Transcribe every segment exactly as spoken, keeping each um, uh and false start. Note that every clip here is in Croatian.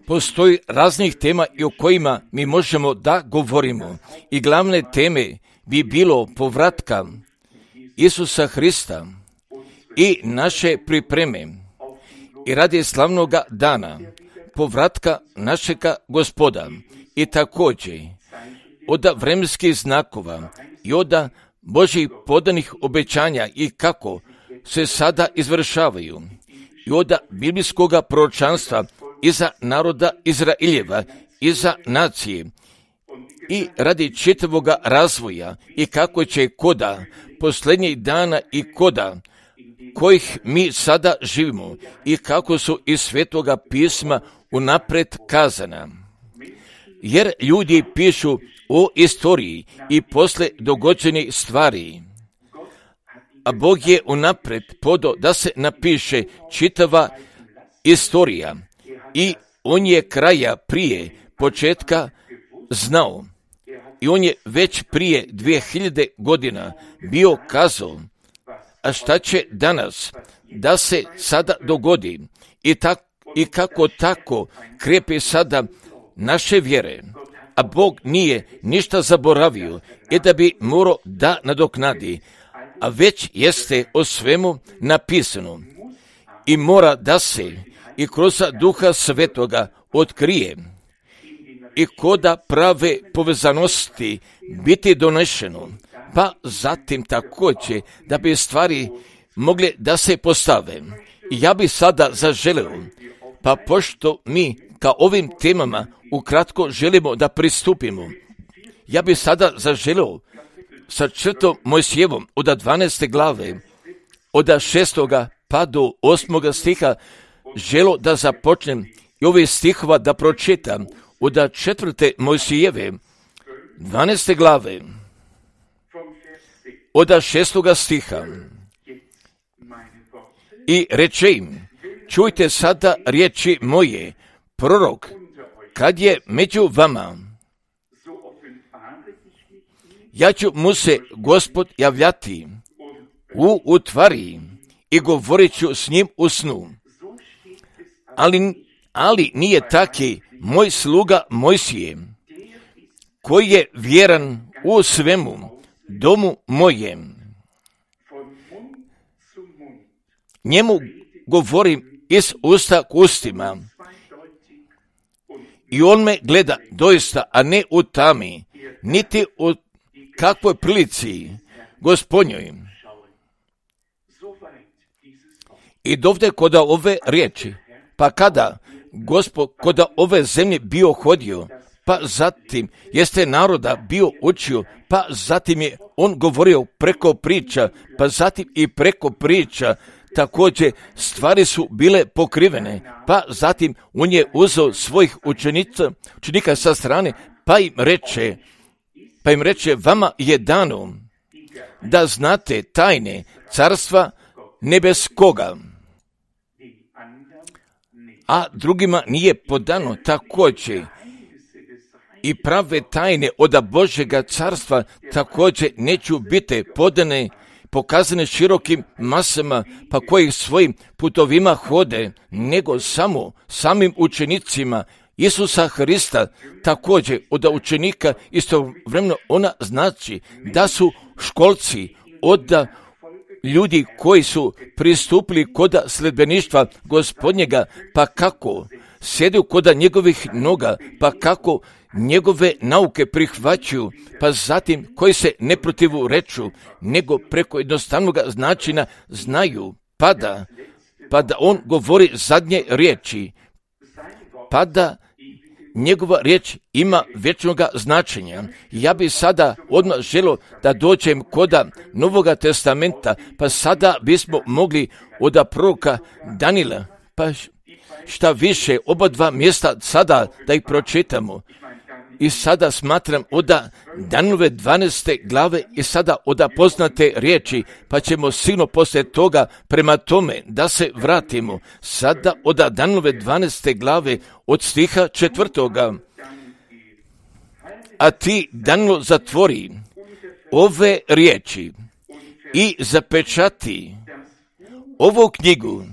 Postoji raznih tema i o kojima mi možemo da govorimo. I glavne teme bi bilo povratka Isusa Hrista i naše pripreme i radi slavnoga dana povratka našega Gospoda i također od vremenskih znakova i od Božjih podanih obećanja i kako se sada izvršavaju i od biblijskog proročanstva iza naroda Izraeljeva, iza nacije i radi čitavog razvoja i kako će koda posljednjih dana i koda kojih mi sada živimo i kako su iz Svetoga pisma unaprijed kazana. Jer ljudi pišu o istoriji i posle dogođenih stvari, a Bog je unaprijed podao da se napiše čitava istorija i on je kraja prije početka znao i on je već prije dvije hiljade godina bio kazao, a šta će danas da se sada dogodi i, tak, i kako tako krepe sada naše vjere, a Bog nije ništa zaboravio i da bi morao da nadoknadi, a već jeste o svemu napisano i mora da se i kroz Duha Svetoga otkrije i koda prave povezanosti biti donešeno, pa zatim također da bi stvari mogle da se postave. I ja bi sada zaželeo, pa pošto mi ka ovim temama ukratko želimo da pristupimo, ja bi sada zaželeo sa četvrtom Mojsijevom od dvanaeste glave, od šestoga pa do osmoga stiha, želo da započnem i ove stihova da pročitam od četvrte Mojsijeve, dvanaeste glave, od šestoga stiha. I reče im, čujte sada riječi moje, prorok, kad je među vama, ja ću mu se Gospod javljati u utvari i govorit ću s njim u snu. Ali, ali nije taki moj sluga Mojsije, koji je vjeran u svemu domu mojem. Njemu govorim iz usta k ustima i on me gleda doista, a ne u tami, niti u kakvoj prilici Gospodnjoj. I dovde koda ove riječi, pa kada Gospod koda ove zemlje bio hodio, pa zatim jeste naroda bio učio, pa zatim je on govorio preko priča, pa zatim i preko priča također stvari su bile pokrivene, pa zatim on je uzeo svojih učenica, učenika sa strane, pa im reče, pa im reče, vama je dano da znate tajne carstva nebeskoga, a drugima nije podano također i prave tajne od Božjega carstva također neću biti podane, pokazane širokim masama, pa koji svojim putovima hode, nego samo samim učenicima Isusa Hrista, također od učenika istovremeno ona znači da su školci od ljudi koji su pristupili koda sledbeništva Gospodnjega, pa kako sjedu koda njegovih noga, pa kako njegove nauke prihvaćaju, pa zatim koji se ne protivu reču, nego preko jednostavnog načina znaju, pa da, pa da on govori zadnje riječi, pa da njegova riječ ima vječnog značenja. Ja bi sada odmah želio da dođem koda Novoga testamenta, pa sada bismo mogli od proroka Danila, pa šta više, oba dva mjesta sada da ih pročitamo. I sada smatram od Danilove dvanaeste glave i sada od poznate riječi, pa ćemo sigurno poslije toga prema tome da se vratimo. Sada od Danilove dvanaeste glave od stiha četvrtoga. A ti, Danilo, zatvori ove riječi i zapečati ovu knjigu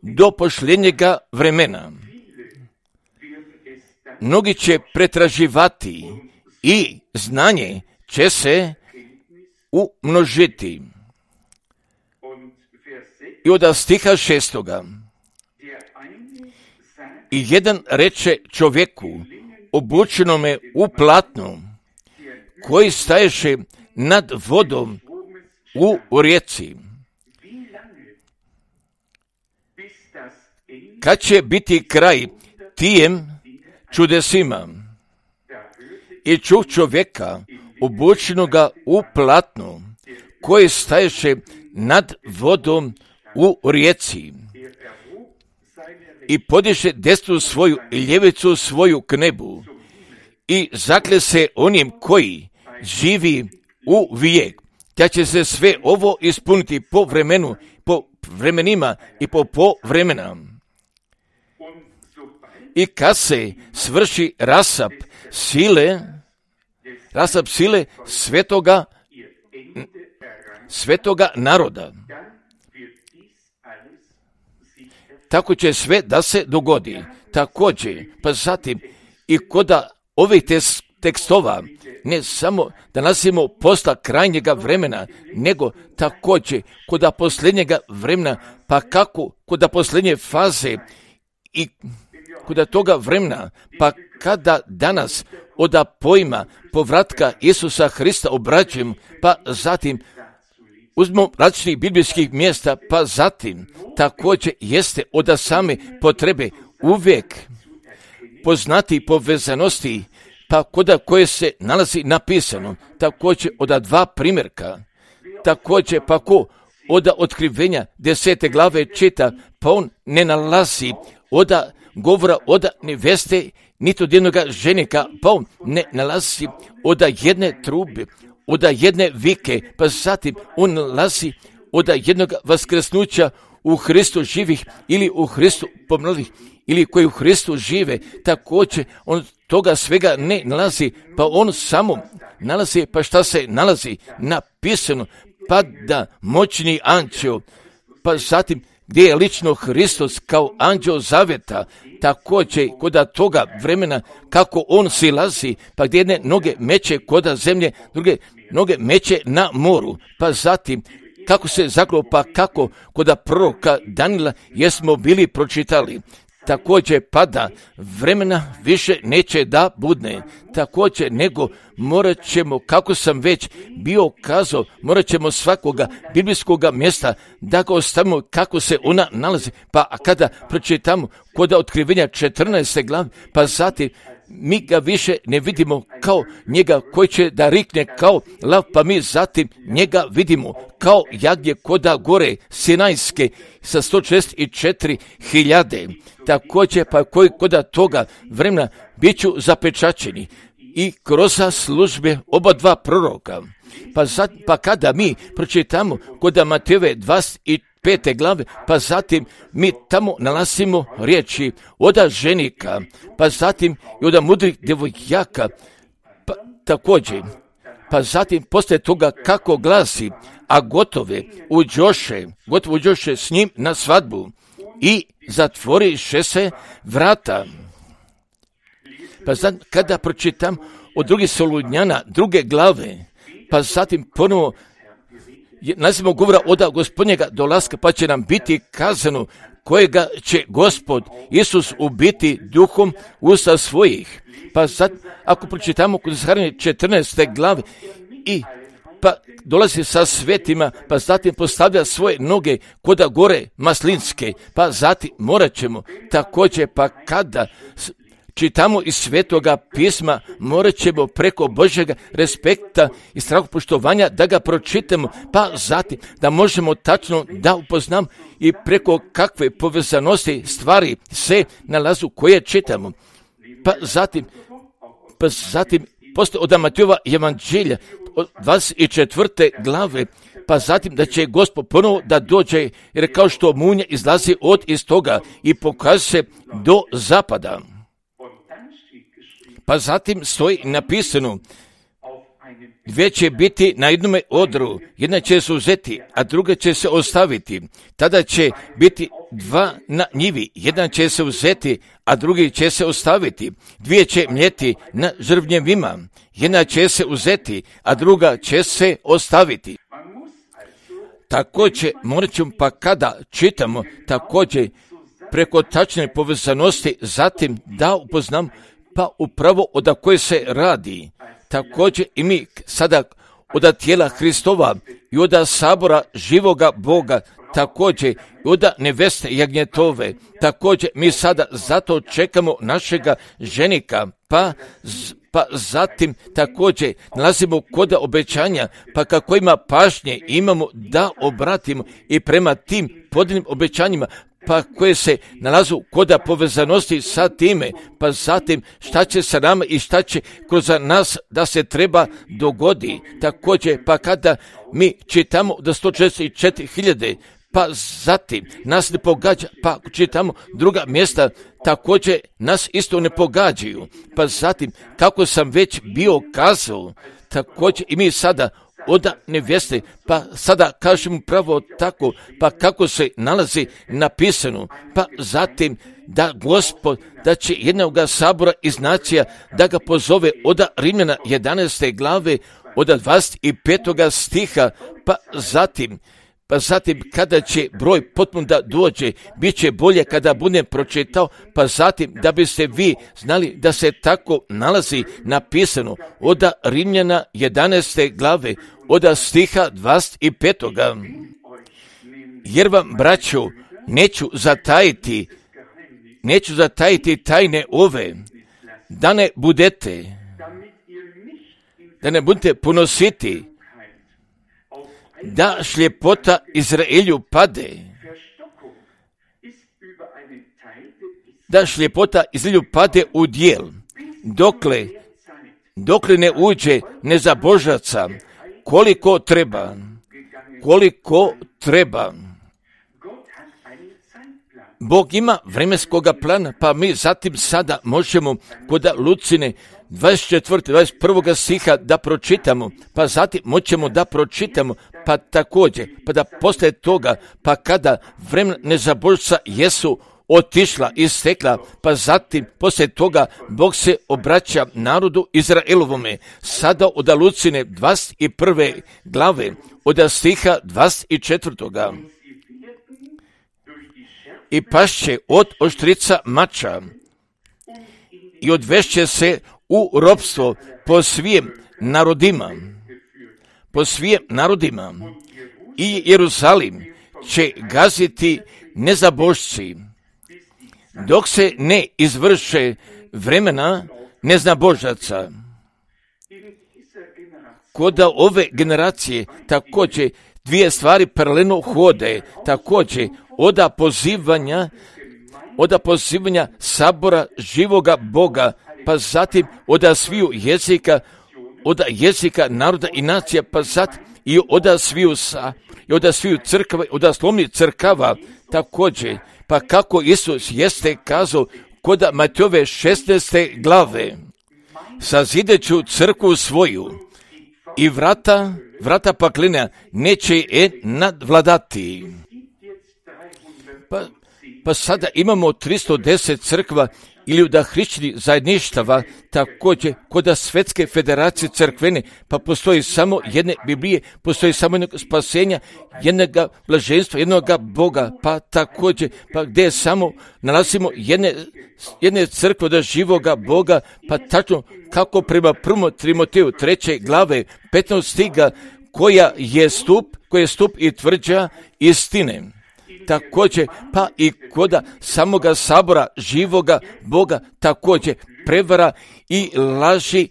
do posljednjega vremena. Mnogi će pretraživati i znanje će se umnožiti. I od stiha šestoga. I jedan reče čovjeku, obučenome u platnu, koji staješe nad vodom u rijeci. Kad će biti kraj tijem čudesima? I čuh čovjeka, obučenoga u platnu, koji staješe nad vodom u rijeci. I podiše desnu svoju i ljevicu svoju k nebu i zakle se onim koji živi u vijek, da će se sve ovo ispuniti po vremenu, po vremenima i po po vremena. I kad se svrši rasap sile, rasap sile svetoga, svetoga naroda, tako će sve da se dogodi. Također, pa zatim i kod ovih tekstova, ne samo da nalazimo posla krajnjega vremena, nego također kod posljednjega vremena, pa kako kod posljednje faze i kod toga vremena, pa kada danas od pojma povratka Isusa Hrista obrađujemo, pa zatim uzmemo različitih biblijskih mjesta, pa zatim također jeste od same potrebe uvijek poznati povezanosti, pa kod koje se nalazi napisano, također od dva primjerka, također pa ko od otkrivenja desete glave čita, pa on ne nalazi od govora od neveste, niti od jednoga ženika, pa on ne nalazi od jedne trube, od jedne vike, pa zatim on nalazi od jednog vaskrsnuća u Hristu živih ili u Hristu pomrlih, ili koji u Hristu žive, također on toga svega ne nalazi, pa on samo nalazi, pa šta se nalazi napisano, pa da moćni anđeo, pa zatim gdje je lično Hristos kao anđeo zaveta, također kod toga vremena kako on silazi, pa gdje jedne noge meće kod zemlje, druge noge meće na moru, pa zatim kako se zaklo, pa kako kod proroka Danila jesmo bili pročitali. Također pada vremena više neće da budne, također nego morat ćemo, kako sam već bio kazao, morat ćemo svakoga biblijskoga mjesta da ga ostavimo kako se ona nalazi, pa kada pročitamo kod otkrivenja četrnaeste glave, pa zatim mi ga više ne vidimo kao njega koji će da rikne kao lav, pa mi zatim njega vidimo kao jagnje koda gore Sinajske sa sto šezdeset četiri hiljade. Također pa koji koda toga vremena bit ću zapečaćeni i kroz službe oba dva proroka. Pa, zat, pa kada mi pročitamo kod Matejove dvadeset pete glave, pa zatim mi tamo nalazimo riječi od ženika, pa zatim i od mudrih djevojaka, pa također, pa zatim poslije toga kako glasi, a gotove uđoše, gotovo uđoše s njim na svadbu i zatvoriše se vrata. Pa zatim kada pročitam od drugih Solunjana, druge glave, pa zatim ponovo nazivamo govora od gospodnjega dolaska, pa će nam biti kazano kojega će Gospod Isus ubiti duhom usta svojih. Pa sad, ako pročitamo kod Zaharije četrnaeste glave i pa dolazi sa svetima, pa zatim postavlja svoje noge koda gore maslinske, pa zatim morat ćemo također, pa kada čitamo iz svetoga pisma, morat ćemo preko Božjega respekta i strahopoštovanja da ga pročitamo, pa zatim da možemo tačno da upoznamo i preko kakve povezanosti stvari se nalazu koje čitamo. Pa zatim, pa zatim poslije od Matejova evanđelja od dvadeset četvrte glave, pa zatim da će Gospod ponovo da dođe, jer kao što munja izlazi od istoga i pokaže se do zapada. Pa zatim stoji napisano dvije će biti na jednome odru, jedna će se uzeti, a druga će se ostaviti. Tada će biti dva na njivi, jedan će se uzeti, a drugi će se ostaviti. Dvije će mljeti na žrvnjevima, jedna će se uzeti, a druga će se ostaviti. Također, morat ćemo, pa kada čitamo, također preko tačne povezanosti, zatim da upoznam, pa upravo od koje se radi. Također i mi sada od tijela Hristova i od sabora živoga Boga, također i od neveste jagnjetove, također mi sada zato čekamo našega ženika, pa pa zatim također nalazimo kod obećanja, pa kako ima pažnje imamo da obratimo i prema tim podijeljenim obećanjima, pa koje se nalazu kod povezanosti sa time, pa zatim šta će sa nama i šta će kroz nas da se treba dogodi. Također, pa kada mi čitamo da sto četrdeset četiri hiljade, pa zatim nas ne pogađa, pa čitamo druga mjesta, također nas isto ne pogađaju. Pa zatim, kako sam već bio kazao, također i mi sada od nevjeste, pa sada kažemo pravo tako, pa kako se nalazi napisano, pa zatim da Gospod, da će jednoga sabora iz nacija, da ga pozove od Rimljana jedanaeste glave, od dvadeset petog stiha, pa zatim, pa zatim kada će broj potpuno da dođe, bit će bolje kada budem pročitao, pa zatim da biste vi znali da se tako nalazi napisano od Rimljana jedanaeste glave, od stiha dvadeset petog. Jer vam, braćo, neću zatajiti, neću zatajiti tajne ove, da ne budete, da ne budete ponositi, da šljepota Izraelju pade, da šljepota Izraelju pade u dijel, dokle, dokle ne uđe nezabožaca, koliko treba, koliko treba. Bog ima vremenskoga plana, pa mi zatim sada možemo kod Lucine dvadeset četvrtog dvadeset prvog stiha da pročitamo, pa zatim moćemo da pročitamo, pa također, pa da posle toga, pa kada vremena nezabožca jesu otišla i stekla, pa zatim posle toga Bog se obraća narodu Izraelovome, sada od Lucine dvadeset prve glave, od stiha dvadeset četvrtog. I pašće od oštrica mača i odvešće se u ropstvo po svijem narodima, po svijem narodima, i Jerusalim će gaziti nezabožci, dok se ne izvrše vremena neznabožaca. Kod ove generacije također dvije stvari paralelno hode, također oda pozivanja, oda pozivanja sabora živoga Boga, pa zatim oda sviju jezika, oda jezika naroda i nacija, pa zatim i oda sviju sa, i oda sviju crkava, oda slovnih crkava, također, pa kako Isus jeste kazao kod Matejove šesnaeste glave, sazideću crkvu svoju i vrata, vrata paklina neće je nadvladati. Pa, pa sada imamo tristo deset crkva ili da hrišćani zajedništava, također kod Svetske federacije crkvene, pa postoji samo jedne Biblije, postoji samo jednog spasenja, jednog blaženstva, jednog Boga, pa također, pa gdje samo nalazimo jedne, jedne crkve od živoga Boga, pa tačno kako prema prvom Timoteju treće glave petnaestog stiga, koja je stup, koja je stup i tvrđa istine. Također, pa i kod samoga sabora živoga Boga, također prevara i laži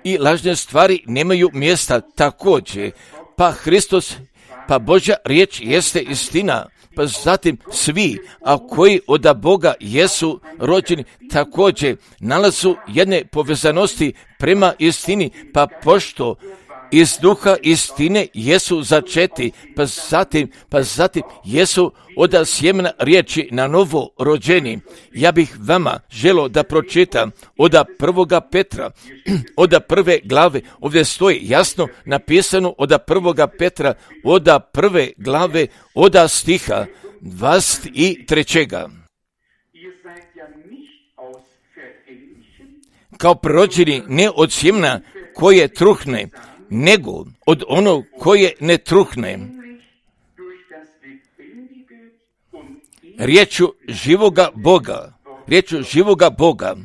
i lažne stvari nemaju mjesta, također, pa Hristos, pa Božja riječ jeste istina, pa zatim svi, a koji od Boga jesu rođeni, također nalazu jedne povezanosti prema istini, pa pošto iz duha istine jesu začeti, pa zatim, pa zatim jesu od sjemena riječi na novo rođeni. Ja bih vama želio da pročitam od prvoga Petra, od prve glave, ovdje stoji jasno napisano od prvoga Petra, od prve glave, od stiha dvadeset trećega. Kao prorođeni ne od sjemena koje truhne, nego od onog koje ne truhne, riječu živoga Boga, riječu živoga Boga,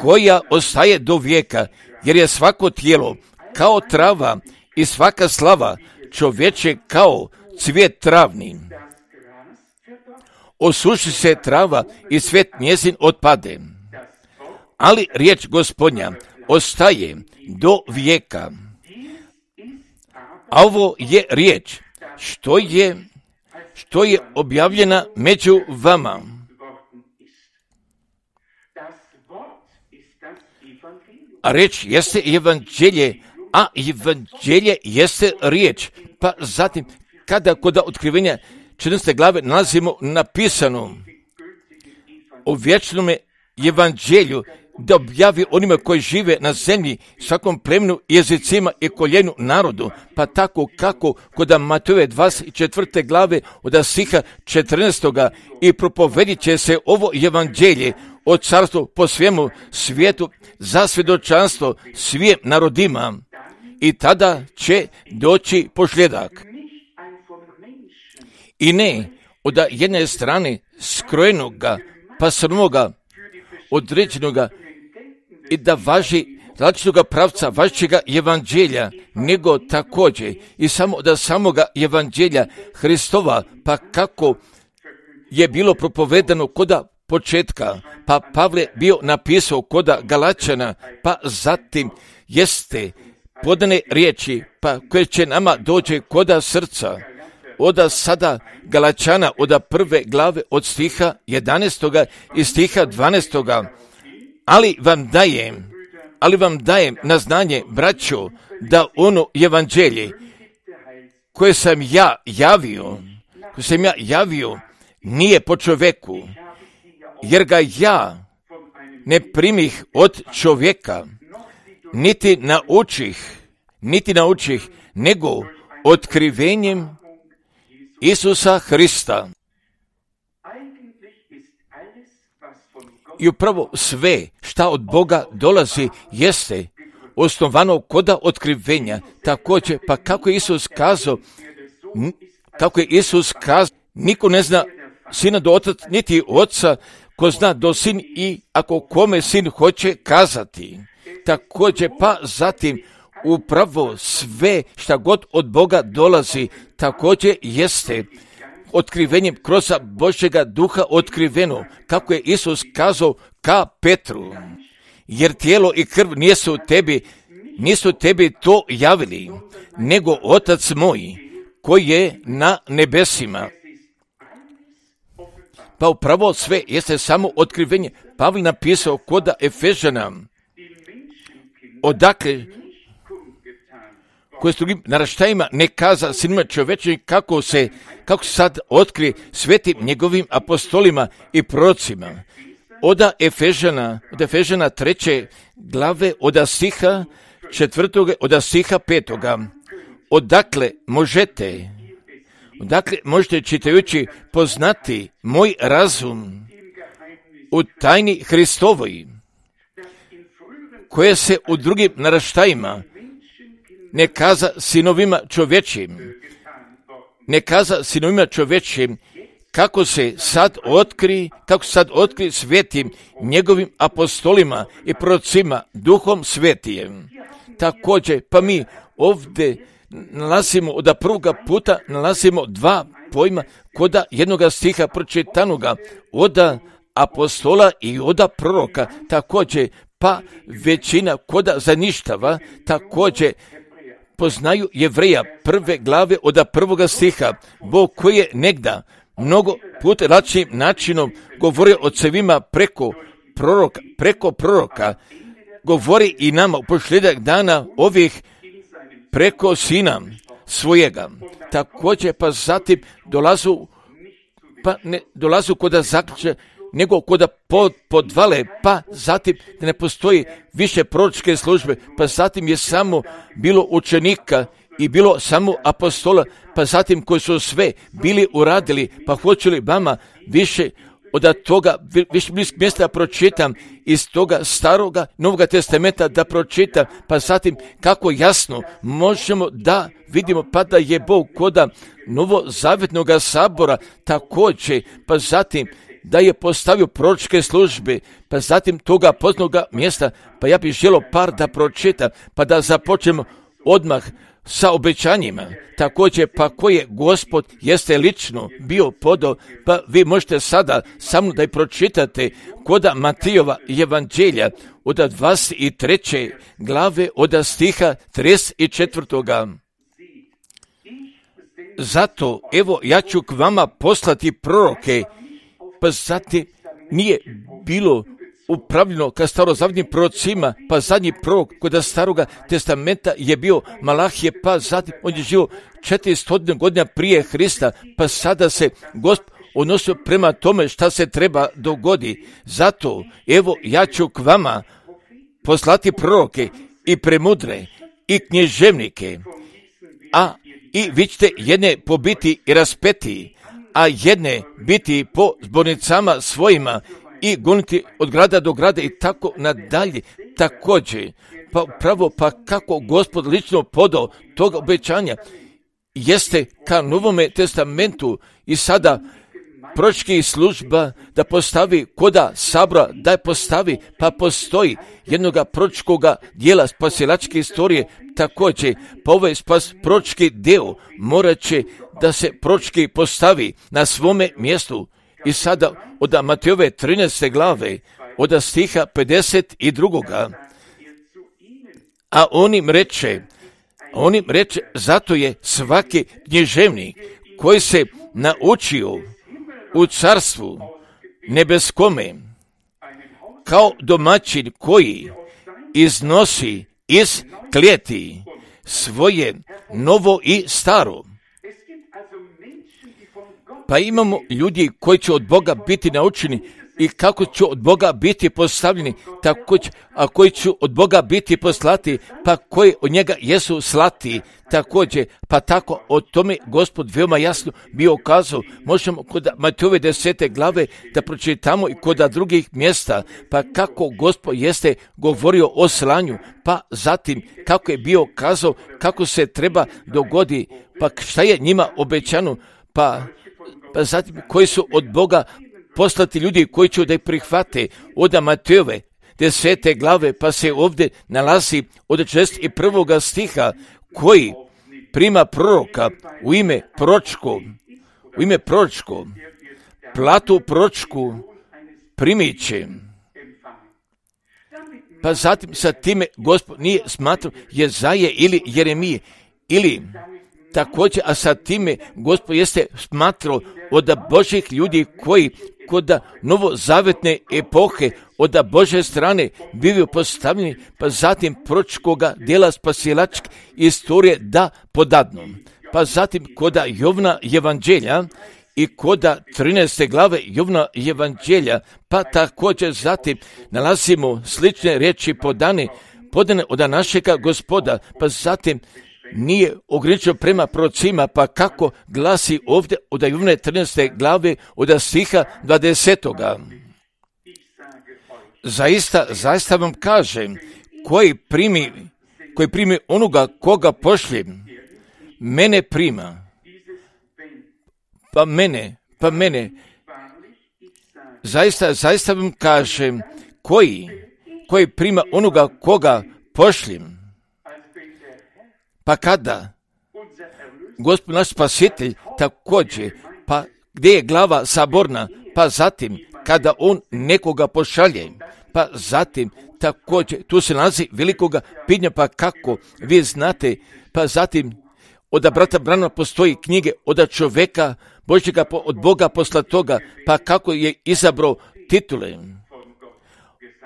koja ostaje do vijeka, jer je svako tijelo kao trava i svaka slava čovječe kao cvijet travni. Osuši se trava i cvijet njezin otpade, ali riječ Gospodnja ostaje do vijeka. A ovo je riječ što je, što je objavljena među vama. A riječ jeste evanđelje, a evanđelje jeste riječ. Pa zatim, kada kod otkrivenja četrnaeste glave nalazimo napisano o vječnome evanđelju, da objavi onima koji žive na zemlji, svakom plemenu, jezicima i koljenu narodu, pa tako kako kod Matejove dvadeset četvrte glave od stiha četrnaestoga i propovedit će se ovo evanđelje o carstvu po svemu svijetu za svjedočanstvo svim narodima i tada će doći posljedak. I ne od jedne strane skrojenoga, pasanoga, određenoga i da važi različitoga pravca vašega evanđelja, nego također i samo od samoga evanđelja Hristova, pa kako je bilo propovedano koda početka, pa Pavle bio napisao koda Galačana, pa zatim jeste podane riječi, pa koje će nama dođe koda srca. Od sada Galačana, od prve glave, od stiha jedanaestoga i stiha dvanaestoga. Ali vam dajem, ali vam dajem na znanje, braćo, da ono evanđelje koje sam ja javio, koje sam ja javio, nije po čovjeku, jer ga ja ne primih od čovjeka, niti naučih, niti naučih, nego otkrivenjem Isusa Hrista. I upravo sve šta od Boga dolazi jeste osnovano koda otkrivenja. Također, pa kako je Isus kazao, kako je Isus kazao, niko ne zna sina do otac, niti oca, ko zna do sin i ako kome sin hoće kazati. Također, pa zatim, upravo sve šta god od Boga dolazi, također jeste otkrivenjem kroz Božjega duha otkriveno, kako je Isus kazao ka Petru, jer tijelo i krv nisu tebi, nisu tebi to javili, nego Otac moj, koji je na nebesima. Pa upravo sve jeste samo otkrivenje. Pavle napisao koda Efežana, odakle koje s drugim naraštajima ne kaza sinima čovječnim kako se, kako se sad otkri svetim njegovim apostolima i prorocima. Od Efežana, od Efežana treće glave, od stiha četvrtoga, od stiha petoga. Odakle možete, odakle možete čitajući poznati moj razum u tajni Hristovoj, koje se u drugim naraštajima ne kaza sinovima čovječim, ne kaza sinovima čovječim, kako se sad otkri, kako sad otkri svetim njegovim apostolima i prorocima duhom svetijem. Također, pa mi ovdje nalazimo od prvoga puta, nalazimo dva pojma koda jednoga stiha pročitanoga, od apostola i od proroka. Također, pa većina koda zaništava, također poznaju Jevreja prve glave od prvoga stiha, Bog koji je negda mnogo puta različitim načinom govori o cevima preko proroka, preko proroka, govori i nama u posljedak dana ovih preko sina svojega. Također pa zatim dolazu, pa ne dolazu koda zaključe, nego koda pod, podvale, pa zatim da ne postoji više proročke službe, pa zatim je samo bilo učenika i bilo samo apostola, pa zatim koji su sve bili uradili, pa hoću li vama više od toga, više bliskog mjesta pročitam iz toga staroga, novoga testamenta da pročitam, pa zatim kako jasno možemo da vidimo pa da je Bog koda novozavjetnog sabora također, pa zatim da je postavio proročke službe, pa zatim toga poznaga mjesta, pa ja bih želio par da pročitam, pa da započnemo odmah sa obećanjima, također pa koje Gospod jeste lično bio podao, pa vi možete sada samo da i pročitate koda Matijova evanđelja od dvadeset treće glave od stiha trideset četvrtoga. Zato, evo, ja ću k vama poslati proroke, pa zatim nije bilo upravljeno ka starozavjetnim prorocima, pa zadnji prorok kod staroga testamenta je bio Malahije, pa zatim on je živio četiristo godina prije Hrista, pa sada se Gospod odnosio prema tome šta se treba dogodi. Zato, evo, ja ću k vama poslati proroke i premudre i knježevnike, a i vi ćete jedne pobiti i raspeti, a jedne biti po zbornicama svojima i goniti od grada do grada i tako nadalje. Također, pa pravo pa kako Gospod lično podao toga obećanja jeste ka Novome testamentu i sada proročki služba da postavi koda sabora, da je postavi, pa postoji jednoga proročkoga dijela spasilačke istorije također, pa ovaj spas proročki deo morat će da se proročki postavi na svome mjestu. I sada od Matejove trinaeste glave, od stiha pedeset dva. A on im reče, on im reče, zato je svaki knježevnik koji se naučio u carstvu nebeskome, kao domaćin koji iznosi iz klijeti svoje novo i staro. Pa imamo ljudi koji će od Boga biti naučeni i kako će od Boga biti postavljeni, tako će, a koji će od Boga biti poslati, pa koji od njega jesu slati također, pa tako o tome Gospod veoma jasno bio kazao. Možemo kod Matejove desete glave da pročitamo i kod drugih mjesta, pa kako Gospod jeste govorio o slanju, pa zatim kako je bio kazao, kako se treba dogodi, pa šta je njima obećano, pa pa zatim koji su od Boga poslati ljudi koji će da ih prihvate. Od Matejove desete glave, pa se ovdje nalazi od šezdeset prvog stiha, koji prima proroka u ime proročko, u ime proročko, platu proročku primit će. Pa zatim sa time Gospod nije smatrao Jezaje ili Jeremije, ili također, a sa time Gospod jeste smatrao od Božih ljudi koji kod novozavetne epohe od Bože strane bivaju postavljeni, pa zatim proročkoga dijela spasilačke istorije da podadnu. Pa zatim kod Jovna evanđelja i kod trinaeste glave Jovna evanđelja, pa također zatim nalazimo slične riječi podane, podane od našega Gospoda, pa zatim nije ograničeno prema prorocima, pa kako glasi ovdje od Jovne trinaeste glave od stiha dvadesetoga. Zaista, zaista vam kažem, koji primi, koji primi onoga koga pošljem, mene prima, pa mene, pa mene, zaista, zaista vam kažem, koji, koji prima onoga koga pošljem, pa kada Gospod naš spasitelj također, pa gdje je glava saborna, pa zatim kada on nekoga pošalje, pa zatim također tu se nalazi velikoga pitanja, pa kako vi znate, pa zatim od brata Branhama postoji knjige od čovjeka Božjega, od Boga poslatoga, pa kako je izabrao titule.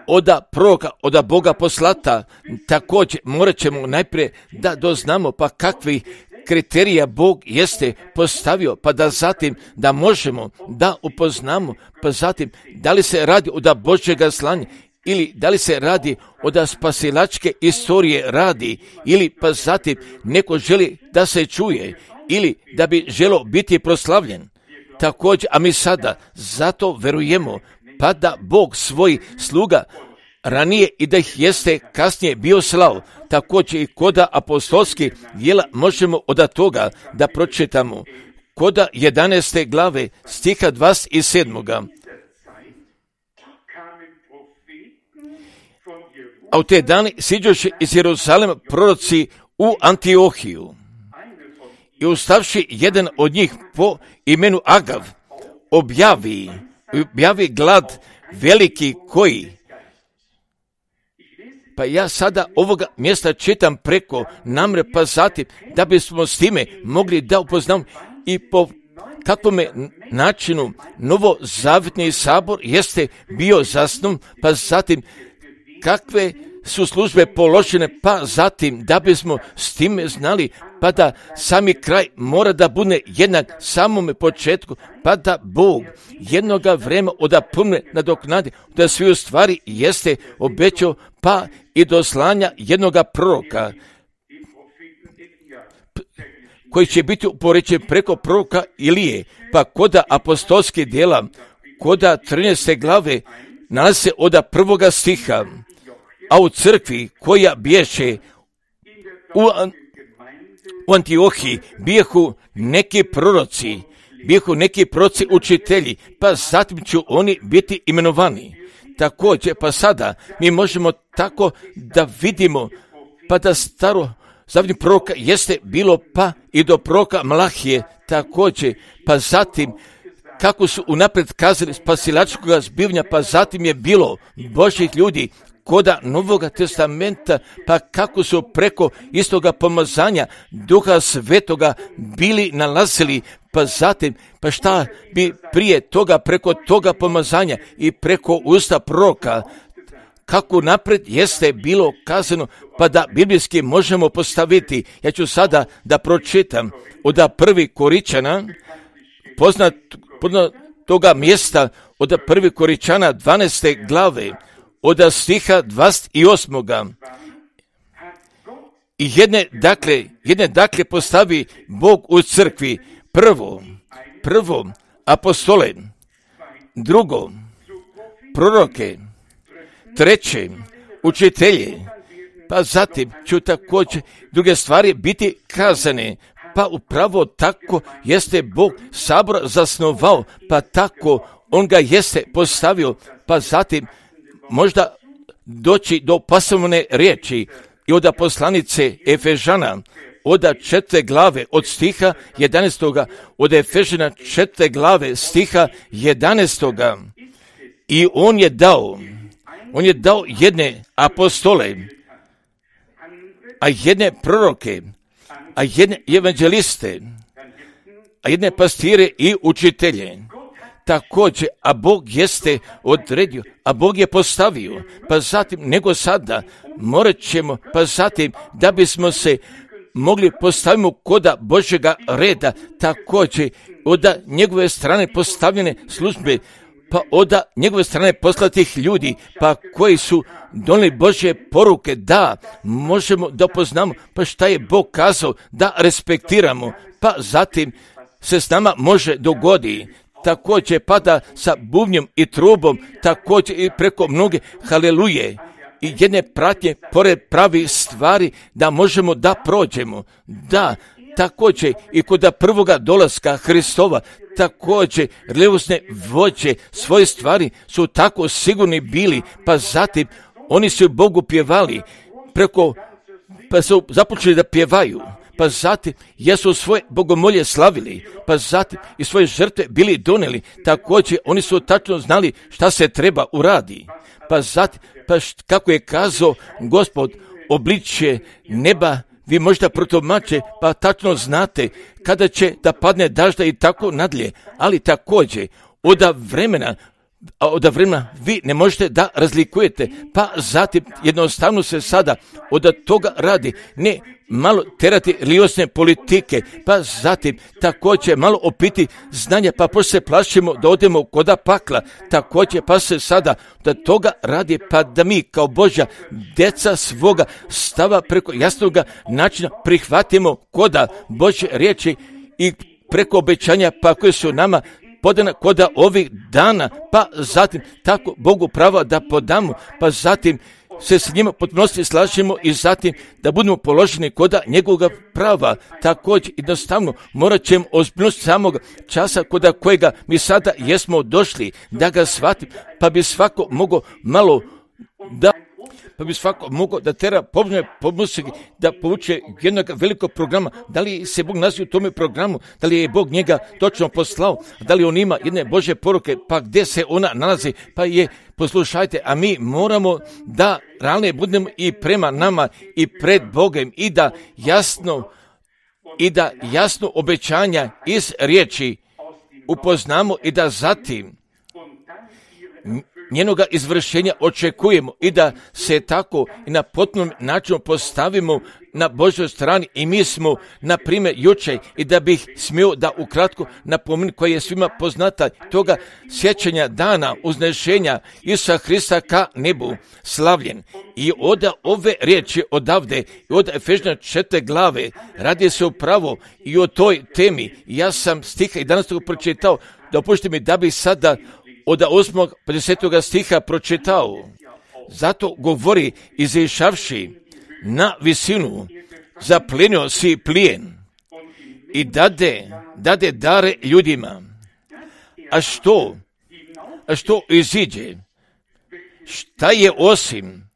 oda proroka, oda Boga poslata, također morat ćemo najprije da doznamo pa kakvi kriterija Bog jeste postavio, pa da zatim da možemo da upoznamo, pa zatim da li se radi od Božjega slanja ili da li se radi od spasilačke istorije radi, ili pa zatim neko želi da se čuje ili da bi želo biti proslavljen. Također, a mi sada zato verujemo pa da Bog svoj sluga ranije i da ih jeste kasnije bio slao. Također i koda apostolskih djela možemo od toga da pročitamo. Koda jedanaeste glave stiha dvadeset sedam. A u te dane siđoše iz Jeruzalema proroci u Antiohiju. I ustavši jedan od njih po imenu Agav, objavi, objavi glad veliki koji. Pa ja sada ovoga mjesta čitam preko namre, pa zatim da bismo s time mogli da upoznamo i po kakvome načinu novozavjetni sabor jeste bio zasnovan, pa zatim kakve su službe položene, pa zatim da bismo s time znali, pa da sami kraj mora da bude jednak samome početku, pa da Bog jednoga vremena odapune nadoknadi, da svi u stvari jeste obećao, pa i do slanja jednoga proroka, koji će biti upoređen preko proroka Ilije, pa koda apostolskih djela, koda trinaeste glave, nalazi se od prvoga stiha, a u crkvi koja biješe u, u Antiohiji bijehu neki proroci, bijehu neki proroci učitelji, pa zatim će oni biti imenovani. Također, pa sada mi možemo tako da vidimo, pa da staro zavjetni proroka jeste bilo pa i do proroka Malahije, također, pa zatim kako su unaprijed kazali spasilačkog zbivanja, pa zatim je bilo Božjih ljudi koda Novoga testamenta, pa kako su preko istoga pomazanja Duha Svetoga bili nalazili, pa zatim, pa šta bi prije toga preko toga pomazanja i preko usta proroka, kako napred jeste bilo kazano, pa da biblijski možemo postaviti. Ja ću sada da pročitam od prvi Koričana, poznat, poznat toga mjesta, od prvi Koričana dvanaeste glave, od stiha dvadeset osam. I jedne dakle, jedne dakle postavi Bog u crkvi, prvo, prvo apostole, drugo proroke, treće učitelje, pa zatim ću također druge stvari biti kazane, pa upravo tako jeste Bog sabor zasnovao, pa tako on ga jeste postavio, pa zatim možda doći do pasovne riječi i od poslanice Efežana, od četvrte glave, od stiha jedanaestoga, od Efežana četvrte glave, stiha jedanaestoga. I on je dao, on je dao jedne apostole, a jedne proroke, a jedne evanđeliste, a jedne pastire i učitelje. Također, a Bog jeste odredio, a Bog je postavio, pa zatim nego sada morat ćemo, pa zatim da bismo se mogli postavimo koda Božjega reda, također od njegove strane postavljene službe, pa od njegove strane poslatih ljudi, pa koji su donijeli Božje poruke, da možemo da poznamo, pa šta je Bog kazao, da respektiramo, pa zatim se s nama može dogoditi. Također pada sa bubnjem i trubom, također i preko mnoge haleluje i jedne pratnje pored pravi stvari da možemo da prođemo. Da, također i kod prvoga dolaska Hristova, također religiozne vođe svoje stvari su tako sigurni bili, pa zatim oni su Bogu pjevali, preko, pa su započeli da pjevaju. Pa zatim jesu svoje bogomolje slavili, pa zatim i svoje žrtve bili donijeli, također oni su tačno znali šta se treba uradi. Pa zatim, pa št, kako je kazao Gospod, obličje neba vi možda protumače, pa tačno znate kada će da padne dažda i tako nadalje, ali također od vremena a od vremena vi ne možete da razlikujete, pa zatim jednostavno se sada od toga radi, ne malo terati religiozne politike, pa zatim također malo opiti znanja, pa pošto se plašimo da odemo koda pakla, također pa se sada da toga radi, pa da mi kao Božja djeca svoga stava preko jasnoga načina prihvatimo koda Božje riječi i preko obećanja pa koje su nama podana koda ovih dana, pa zatim tako Bogu prava da podamo, pa zatim se s njima potpunosti slažemo i zatim da budemo položeni koda njegovog prava. Također jednostavno morat ćemo ozbiljnost samog časa koda kojega mi sada jesmo došli da ga shvatim, pa bi svako mogao malo da pa bi svako mogao da tera pomoćne pomoći da povuče jednog velikog programa. Da li se Bog nalazi u tome programu, da li je Bog njega točno poslao, da li on ima jedne Božje poruke, pa gdje se ona nalazi, pa je, poslušajte, a mi moramo da realno budemo i prema nama i pred Bogom i da jasno i da jasno obećanja iz riječi upoznamo i da zatim njenoga izvršenja očekujemo i da se tako i na potpunom načinu postavimo na Božoj strani i mi smo, na primjer, jučer i da bih smio da ukratko napomenem koja je svima poznata toga sjećanja dana uznešenja Isusa Hrista ka nebu slavljen. I od ove riječi odavde i od Efežana četvrte glave radi se upravo i o toj temi. Ja sam stiha i danas to pročitao, dopustite mi da bih sada od osmog pedesetog stiha pročitao. Zato govori izišavši na visinu, zaplenio si plijen i dade, dade dare ljudima. A što? A što iziđe? Šta je osim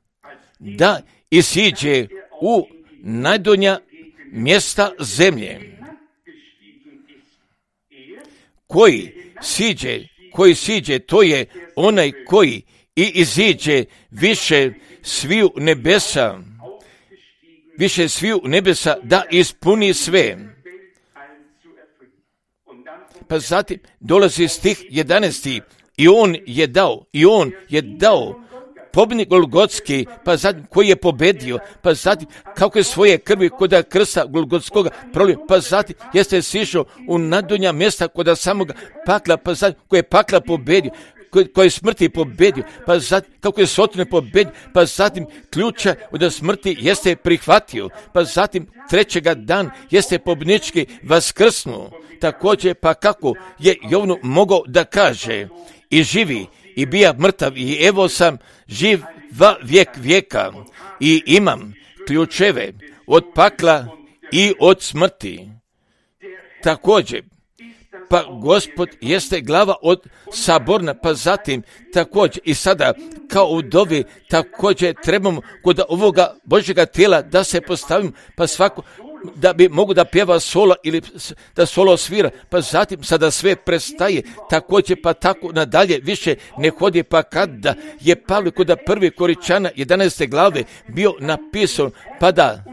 da isiđe u najdonja mjesta zemlje? Koji siđe koji siđe, to je onaj koji i iziđe više sviju nebesa, više sviju nebesa da ispuni sve. Pa zatim dolazi stih jedanaesti i on je dao, i on je dao pobjednik Golgotski, pa zatim koji je pobedio, pa zatim kako je svoje krvi koda krsta Golgotskoga prolio, pa zatim jeste sišao u nadonja mjesta koda samoga pakla, pa zatim koji je pakla pobedio, koji, koji je smrti pobedio, pa zatim kako je sotone pobedio, pa zatim ključa od smrti jeste prihvatio, pa zatim trećega dan jeste pobjednički vaskrsnuo. Također pa kako je Jovnu mogao da kaže i živi i bija mrtav i evo sam živ va vijek vijeka i imam ključeve od pakla i od smrti. Također, pa Gospod jeste glava od saborna, pa zatim također i sada kao u dovi također trebamo kod ovoga Božjega tijela da se postavimo, pa svako da bi mogu da pjeva solo ili da solo svira, pa zatim sada sve prestaje, također pa tako nadalje više ne hodi, pa kada je Pavle kod prvi Koričana jedanaeste glave bio napisan, pa da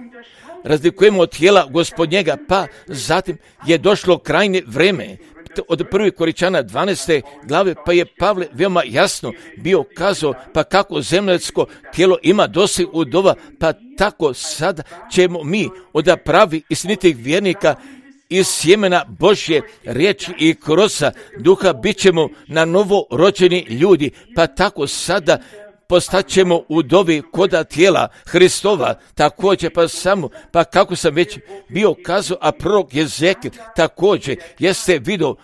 razlikujemo od tijela Gospodnjega, pa zatim je došlo krajnje vreme. Od prvi Koričana dvanaeste glave, pa je Pavle veoma jasno bio kazao, pa kako zemljsko tijelo ima dosi udova, pa tako sad ćemo mi od pravi istinitih vjernika iz sjemena Božje riječi i krosa duha bit ćemo na novo rođeni ljudi, pa tako sada postaćemo u dobi koda tijela Hristova, također pa samo, pa kako sam već bio kazao, a prorok Jezekil također jeste vidio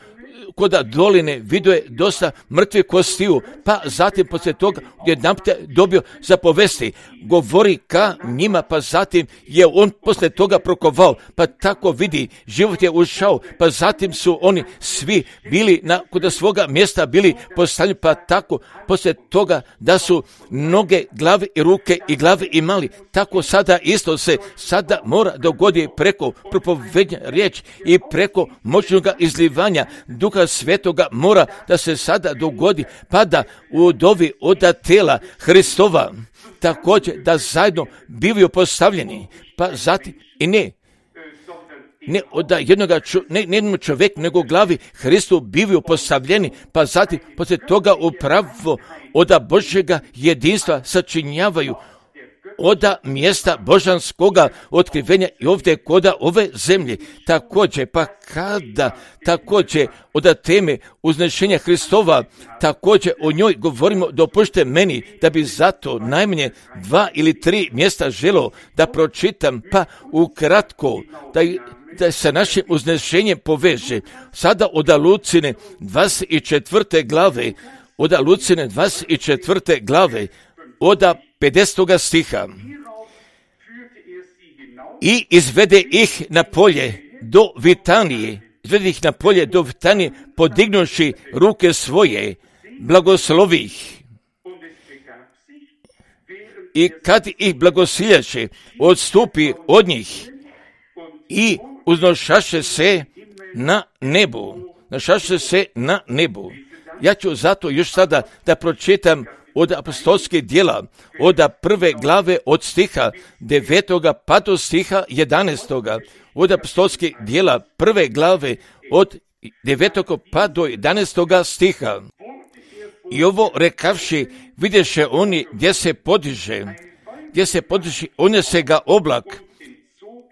koda doline, vidio je dosta mrtvih kostiju, pa zatim poslije toga jedanput dobio zapovesti, govori ka njima, pa zatim je on poslije toga prokovao, pa tako vidi, život je ušao, pa zatim su oni svi bili na koda svoga mjesta bili postavljeni, pa tako poslije toga da su noge, glave i ruke i glave imali, tako sada isto se sada mora dogoditi preko propovednja riječ i preko moćnog izlivanja Duha Svetoga mora da se sada dogodi, pa da u dovi od tela Hristova također da zajedno bivaju postavljeni, pa zatim i ne ne od jednoga čo, ne, ne jednom čovjeku, nego glavi Hristu bivaju postavljeni, pa zatim poslije toga upravo od Božjega jedinstva sačinjavaju oda mjesta božanskoga otkrivenja i ovdje koda ove zemlje. Također, pa kada također oda teme uznešenja Hristova, također o njoj govorimo, dopušte meni da bi zato najmanje dva ili tri mjesta želo da pročitam, pa ukratko da, da se našim uznešenjem poveže. Sada oda Lucine dvadeset četvrte glave, oda Lucine dvadeset četvrte glave, oda pedesetoga stiha. I izvede ih na polje do Vitanije, izvede ih na polje do Vitanije, podignuši ruke svoje, blagoslovi ih. I kad ih blagosiljaše, odstupi od njih i uznošaše se na nebu. Našaše se na nebu. Ja ću zato još sada da pročitam od apostolskih djela, od prve glave od stiha devetoga pa do stiha jedanaestoga, od apostolskih djela prve glave od devetog pa do jedanaestoga stiha. I ovo rekavši, vidješe oni gdje se podiže, gdje se podiže, unese ga oblak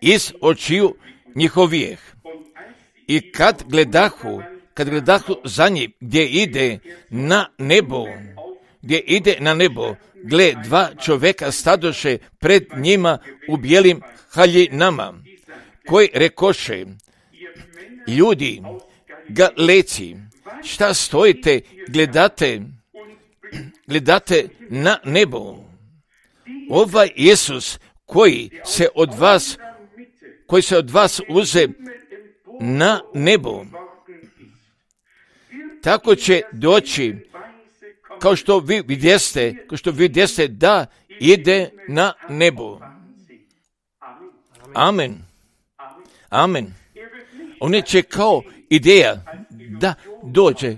iz očiju njihovijeh. I kad gledahu, kad gledahu za njim gdje ide na nebo, gdje ide na nebo, gle, dva čovjeka stadoše pred njima u bijelim haljinama, koji rekoše, ljudi, Galeci, šta stojite, gledate, gledate na nebo. Ovaj Isus koji se od vas, koji se od vas uze na nebo, tako će doći, kao što vi vidjeste, kao što vidjeste da ide na nebo. Amen. Amen. On neće kao ideja da dođe.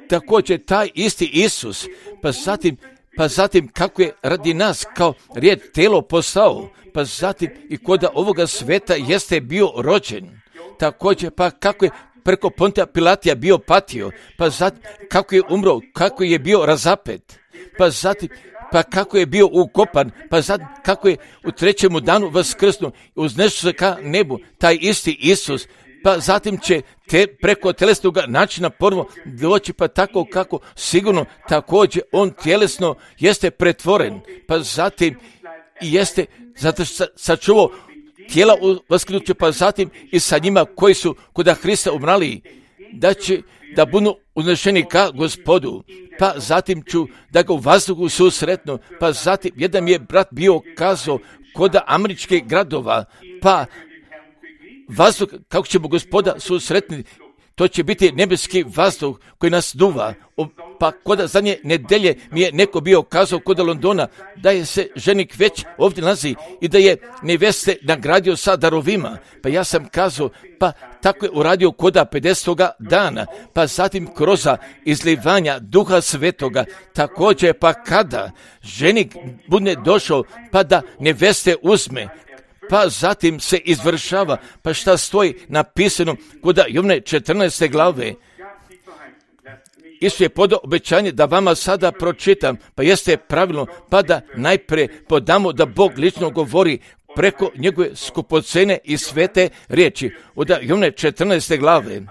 Također taj isti Isus, pa zatim, pa zatim kako je radi nas kao rijed telo postao, pa zatim i kod ovoga sveta jeste bio rođen. Također pa kako je preko Pontija Pilatija bio patio, pa zatim kako je umro, kako je bio razapet, pa zatim pa kako je bio ukopan, pa zatim kako je u trećemu danu vaskrsnuo, uznešao se ka nebu, taj isti Isus, pa zatim će te preko telesnog načina ponovo doći, pa tako kako sigurno također on tjelesno jeste pretvoren, pa zatim jeste, zato što sačuvao tijela vaskrsnuće, pa zatim i sa njima koji su kod Hrista umrali, da će da budu uznešeni ka Gospodu, pa zatim ću da ga u vazduhu susretnu, pa zatim jedan mi je brat bio kazao kod američkih gradova, pa vazduh, kako ćemo Gospoda susretniti, to će biti nebeski vazduh koji nas duva. Pa kod zadnje nedelje mi je neko bio kazao kod Londona da je se ženik već ovdje nalazi i da je neveste nagradio sa darovima. Pa ja sam kazao, pa tako je uradio kod pedesetoga dana, pa zatim kroz izlivanja Duha Svetoga, također pa kada ženik bude došao pa da neveste uzme, pa zatim se izvršava, pa šta stoji napisano kod Jovne četrnaeste glave. Isus je podao obećanje da vama sada pročitam, pa jeste pravilno, pa da najprije podamo da Bog lično govori preko njegove skupocene i svete riječi. Od Jovne četrnaeste glave,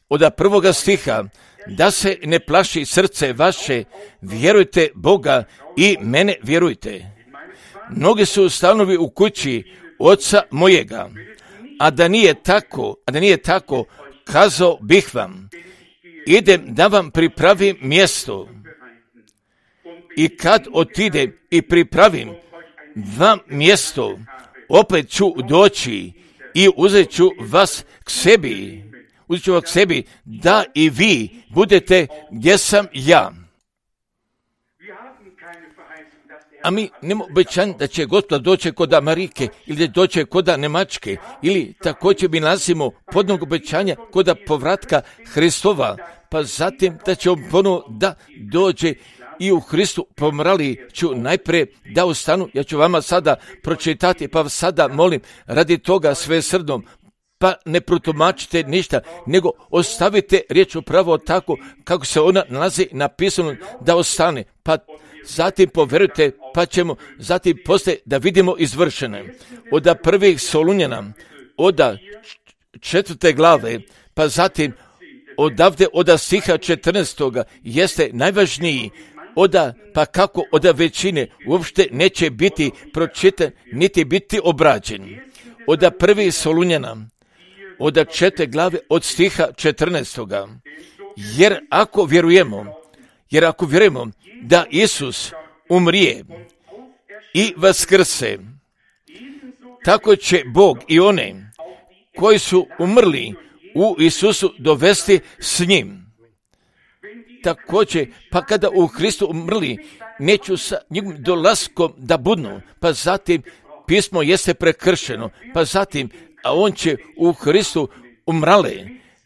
od prvoga stiha, da se ne plaši srce vaše, vjerujte Boga i mene vjerujte. Mnogi su stanovi u kući Oca mojega, a da nije tako, a da nije tako, kazao bih vam, idem da vam pripravim mjesto. I kad otidem i pripravim vam mjesto, opet ću doći i uzet ću vas k sebi, uzet ću vas k sebi, da i vi budete gdje sam ja. A mi nemamo obećanje da će Gospod doći kod Amerike ili da doće kod Njemačke, ili također mi nalazimo podnog obećanja kod povratka Hristova, pa zatim da će on ponovo da dođe i u Hristu pomrali ću najprije da ostanu. Ja ću vama sada pročitati, pa sada molim radi toga svesrdnom, pa ne protumačite ništa, nego ostavite riječ upravo tako kako se ona nalazi napisano da ostane, pa zatim poverujte, pa ćemo zatim poslije da vidimo izvršene. Od prvih Solunjana, od četvrte glave, pa zatim odavde od stiha četrnaestoga jeste najvažniji, oda, pa kako od većine uopšte neće biti pročitan, niti biti obrađen. Od prvih Solunjana, od četvrte glave, od stiha četrnaestoga. Jer ako vjerujemo, jer ako vjerujemo da Isus umrije i vaskrse, tako će Bog i one koji su umrli u Isusu dovesti s njim. Također, pa kada u Hristu umrli, neću sa njegovim dolaskom da budnu, pa zatim pismo jeste prekršeno, pa zatim, a on će u Hristu umrale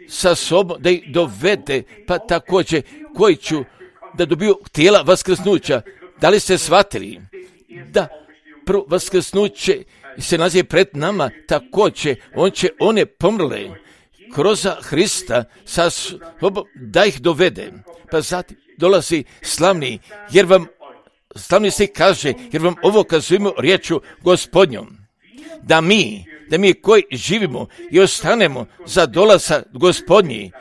sa sobom da ih dovede, pa također koji ću da dobiju tijela vaskrsnuća. Da li ste shvatili da prvo vaskrsnuće se nalazi pred nama, također on će one pomrle kroz Hrista sa sobom da ih dovede. Pa zatim dolazi slavni, jer vam slavni se kaže, jer vam ovo kazujemo riječu Gospodnjom, da mi, da mi koji živimo i ostanemo za dolazak Gospodnji,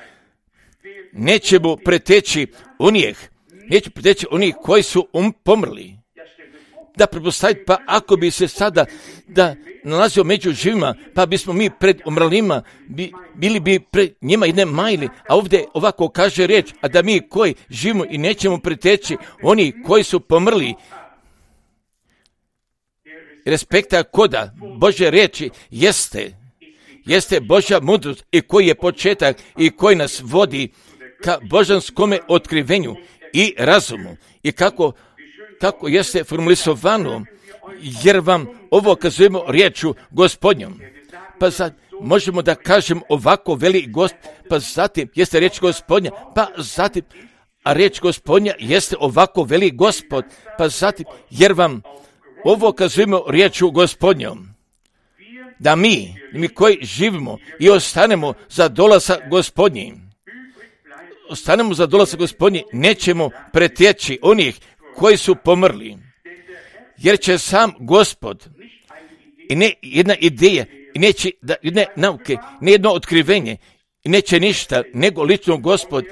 nećemo preteći onih, neće preteći onih koji su um, pomrli. Da pretpostaviti, pa ako bi se sada da nalazio među živima, pa bismo mi pred umrlima bi, bili bi pred njima jedne majli, a ovdje ovako kaže riječ, a da mi koji živimo i nećemo preteći oni koji su pomrli. Respekta koda Božje riječi jeste, jeste Božja mudrost i koji je početak i koji nas vodi ka božanskome otkrivenju i razumu i kako, kako jeste formulisovano, jer vam ovo kazujemo riječu Gospodnjom. Pa sad možemo da kažem ovako veli Gost, pa zatim jeste riječ Gospodnja, pa zatim, a riječ Gospodnja jeste ovako veli Gospod, pa zatim, jer vam ovo kazujemo riječu Gospodnjom, da mi, mi koji živimo i ostanemo za dolazak Gospodnji, ostanemo za dolazak Gospodnji, nećemo pretjeći onih koji su pomrli, jer će sam Gospod i ne jedna ideja, i neće da, ne nauke, ne jedno otkrivenje, i neće ništa, nego lično Gospod,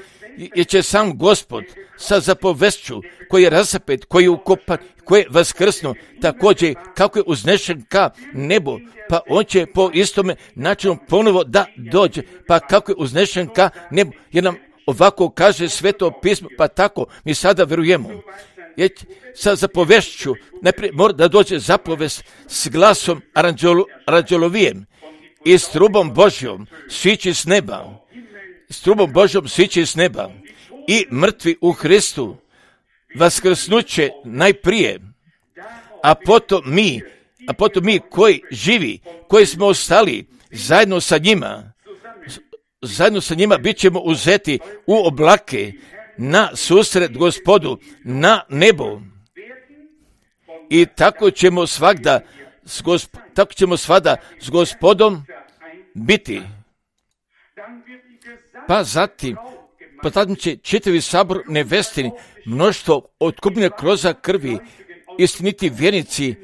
jer će sam Gospod sa zapovešću koji je razapet, koji je ukopan, koji je vaskrsno, također kako je uznešen ka nebu, pa on će po istome načinu ponovo da dođe, pa kako je uznešen ka nebu, jer nam ovako kaže Sveto pismo, pa tako mi sada vjerujemo. Jer sa zapovešću najprije mora da dođe zapovest s glasom aranđelovijem i s trubom Božjom sići s neba, s trubom Božjom sići s neba i mrtvi u Hristu vaskrsnuće najprije, a potom mi, a potom mi koji živi, koji smo ostali zajedno sa njima, zajedno sa njima bit ćemo uzeti u oblake na susret Gospodu na nebo. I tako ćemo svagda s gosp- tako ćemo svada s Gospodom biti. Pa zatim, pa zatim će čitavi sabor nevestini, mnoštvo otkupljene kroz krvi, istiniti vjernici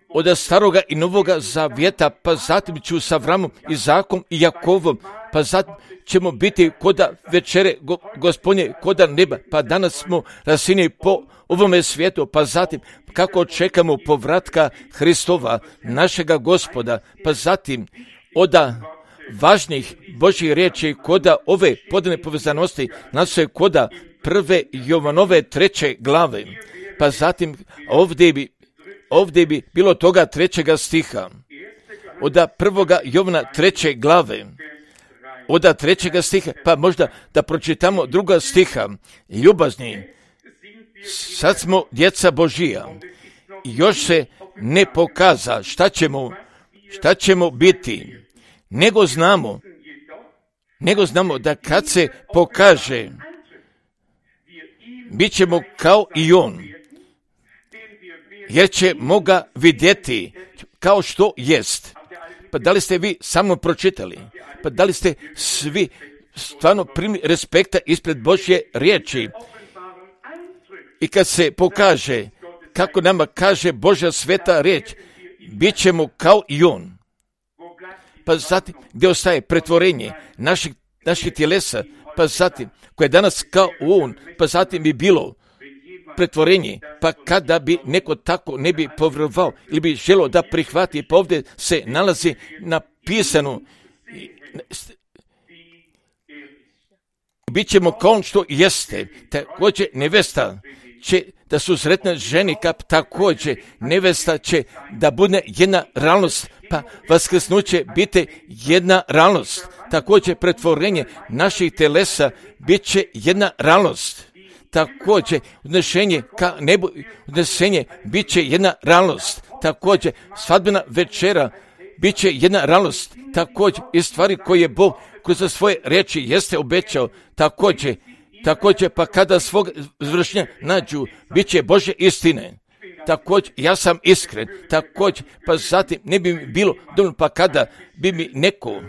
od staroga i novoga zavjeta, pa zatim ću sa Avramom, Izakom i Jakovom, pa zatim ćemo biti koda večere go, Gospodnje, koda neba, pa danas smo rasini po ovome svijetu, pa zatim kako čekamo povratka Hristova, našega Gospoda, pa zatim oda važnih Božjih riječi koda ove podane povezanosti nas je koda prve Jovanove treće glave, pa zatim ovdje bi, ovdje bi bilo toga trećega stiha, oda prvoga Jovana treće glave, oda trećega stiha, pa možda da pročitamo druga stiha, ljubazni, sad smo djeca Božija, još se ne pokaza šta ćemo, šta ćemo biti, nego znamo, nego znamo da kad se pokaže, bit ćemo kao i on, jer ćemo ga vidjeti kao što jest. Pa da li ste vi sa mnom pročitali? Pa da li ste svi stvarno primili respekta ispred Božje riječi? I kad se pokaže, kako nama kaže Božja sveta riječ, bit ćemo kao i on. Pa zatim, gdje ostaje pretvorenje naših, naših tjelesa, pa zatim, koje je danas kao on, pa zatim bi bilo pretvorenje, pa kada bi neko tako ne bi povjerovao ili bi želio da prihvati, pa ovdje se nalazi napisano, bit ćemo kao on što jeste. Također nevesta će da su sretne ženi, kap također nevesta će da bude jedna realnost, pa vaskrsnuće biti jedna realnost. Također pretvorenje naših telesa bit će jedna realnost. Također odnešenje ka nebu, odnesenje bit će jedna realnost. Također svadbena večera bit će jedna realnost. Također i stvari koje Bog kroz svoje riječi jeste obećao. Također, također pa kada svog izvršenja nađu, bit će Božje istine. Također, ja sam iskren. Također, pa zatim ne bi mi bilo dovoljno, pa kada bi mi neko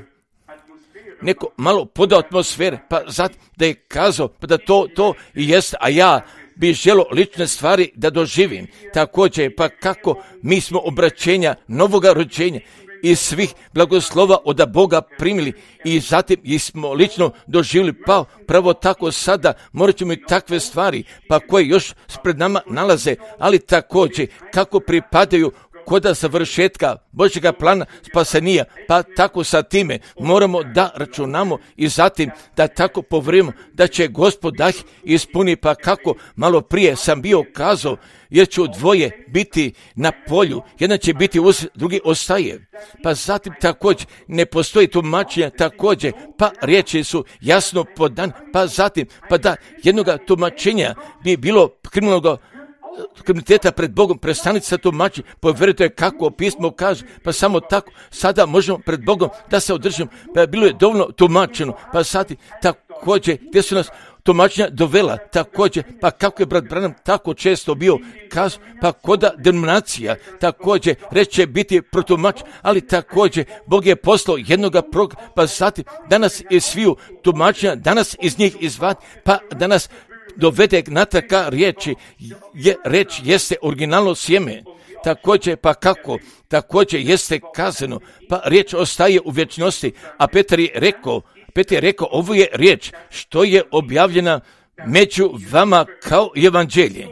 neko malo podao atmosfere, pa zato da je kazao, pa da to, to i jest, a ja bi želio lične stvari da doživim. Također, pa kako mi smo obraćenja novoga rođenja i svih blagoslova od Boga primili i zatim ih smo lično doživjeli, pa pravo tako sada morat ćemo i takve stvari, pa koje još pred nama nalaze, ali također kako pripadaju koda završetka Božjega plana spasenija, pa tako sa time moramo da računamo i zatim da tako povjerujemo da će Gospod da ih ispuni, pa kako malo prije sam bio kazao, jer će dvoje biti na polju, jedan će biti uz, drugi ostaje. Pa zatim također ne postoji tumačenja, također pa riječi su jasno podan, pa zatim pa da jednoga tumačenja bi bilo kriminalnog kriminaliteta pred Bogom, prestanite sa tumačiti, povjerujte kako pismo kaže, pa samo tako sada možemo pred Bogom da se održimo, pa bilo je dovoljno tumačeno, pa sad također gdje su nas tumačenja dovela, također, pa kako je brat Branham tako često bio kazao, pa koda denominacija, također reće biti protumač, ali također Bog je poslao jednoga prog, pa zatim danas iz sviju tumačenja, danas iz njih izvati, pa danas dovede natrag ka riječi, je, reč jeste originalno sjeme, također pa kako, također jeste kazano, pa riječ ostaje u vječnosti, a Petar je rekao, Petar je rekao, ovo je riječ što je objavljena među vama kao evanđelje.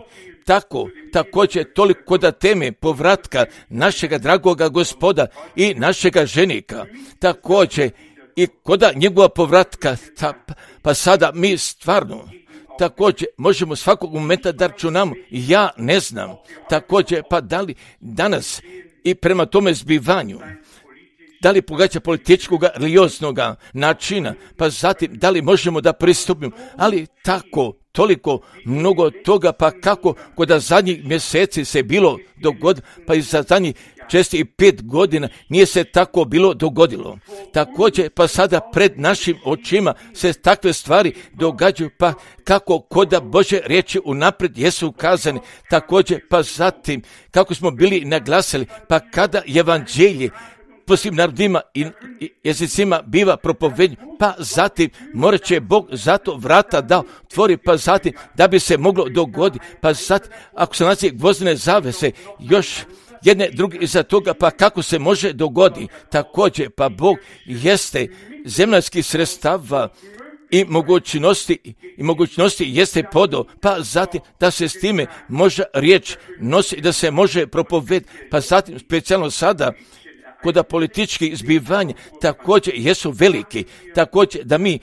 Tako, također toliko da teme povratka našega dragoga Gospoda i našega ženika, također i koda njegova povratka, ta, pa sada mi stvarno također možemo svakog momenta da računamo, ja ne znam, također pa da li danas i prema tome zbivanju, da li pogađa političkog religioznog načina, pa zatim da li možemo da pristupimo, ali tako, toliko mnogo toga, pa kako kod zadnjih mjeseci se bilo dogodilo, pa i za zadnjih česti i pet godina nije se tako bilo dogodilo. Također, pa sada pred našim očima se takve stvari događaju, pa kako koda Božje riječi unaprijed jesu kazani, također, pa zatim, kako smo bili naglasili, pa kada evanđelje po svim narodima i jezicima biva propovednje, pa zatim morat će Bog zato vrata da otvori, pa zatim da bi se moglo dogoditi, pa zatim ako se nalazi gvozdene zavese, još jedne druge iza toga, pa kako se može dogoditi, također pa Bog jeste zemaljskih sredstava i mogućnosti i mogućnosti jeste podao, pa zatim da se s time može riječ nosi i da se može propovedati, pa zatim specijalno sada koda politički zbivanja također jesu veliki, također da mi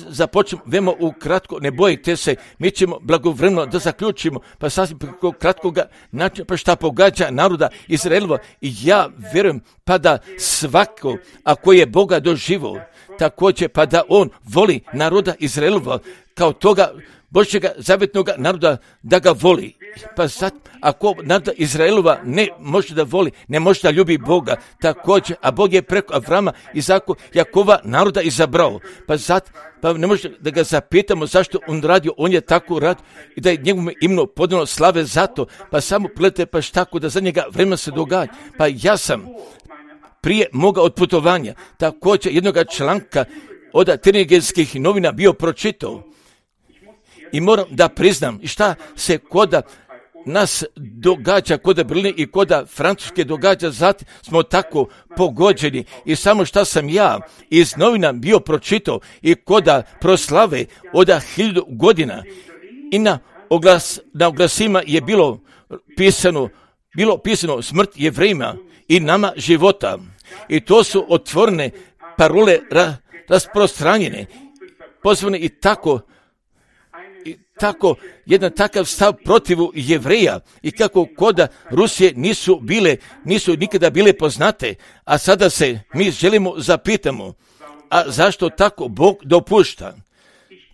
započnemo vemo ukratko, ne bojite se, mi ćemo blagovremeno da zaključimo, pa sasvim preko kratkoga načina, pa šta pogađa naroda Izraelova, i ja vjerujem pa da svako, ako je Boga doživo, također pa da on voli naroda Izraelova, kao toga Božjega zavjetnog naroda da ga voli. Pa sad, ako naroda Izraelova ne može da voli, ne može da ljubi Boga, također, a Bog je preko Avrama, Izaka, Jakova naroda izabrao. Pa sad, pa ne može da ga zapitamo zašto on radio, on je tako radio i da je njegovom imenu podano slave zato, pa samo pogledajte pa tako da za njega vremena se događa. Pa ja sam prije moga otputovanja također jednoga članka od Tenigenskih novina bio pročitao. I moram da priznam šta se koda nas događa, koda Berlina i koda Francuske događa, zatim smo tako pogođeni. I samo šta sam ja iz novina bio pročitao i koda proslave od hiljadu godina. I na, oglas, na oglasima je bilo pisano, bilo pisano smrt Jevrejima i nama života. I to su otvorene parole ra, rasprostranjene, pozvane i tako I tako, jedan takav stav protivu Jevreja i kako koda Rusije nisu bile, nisu nikada bile poznate, a sada se mi želimo zapitamo, a zašto tako Bog dopušta?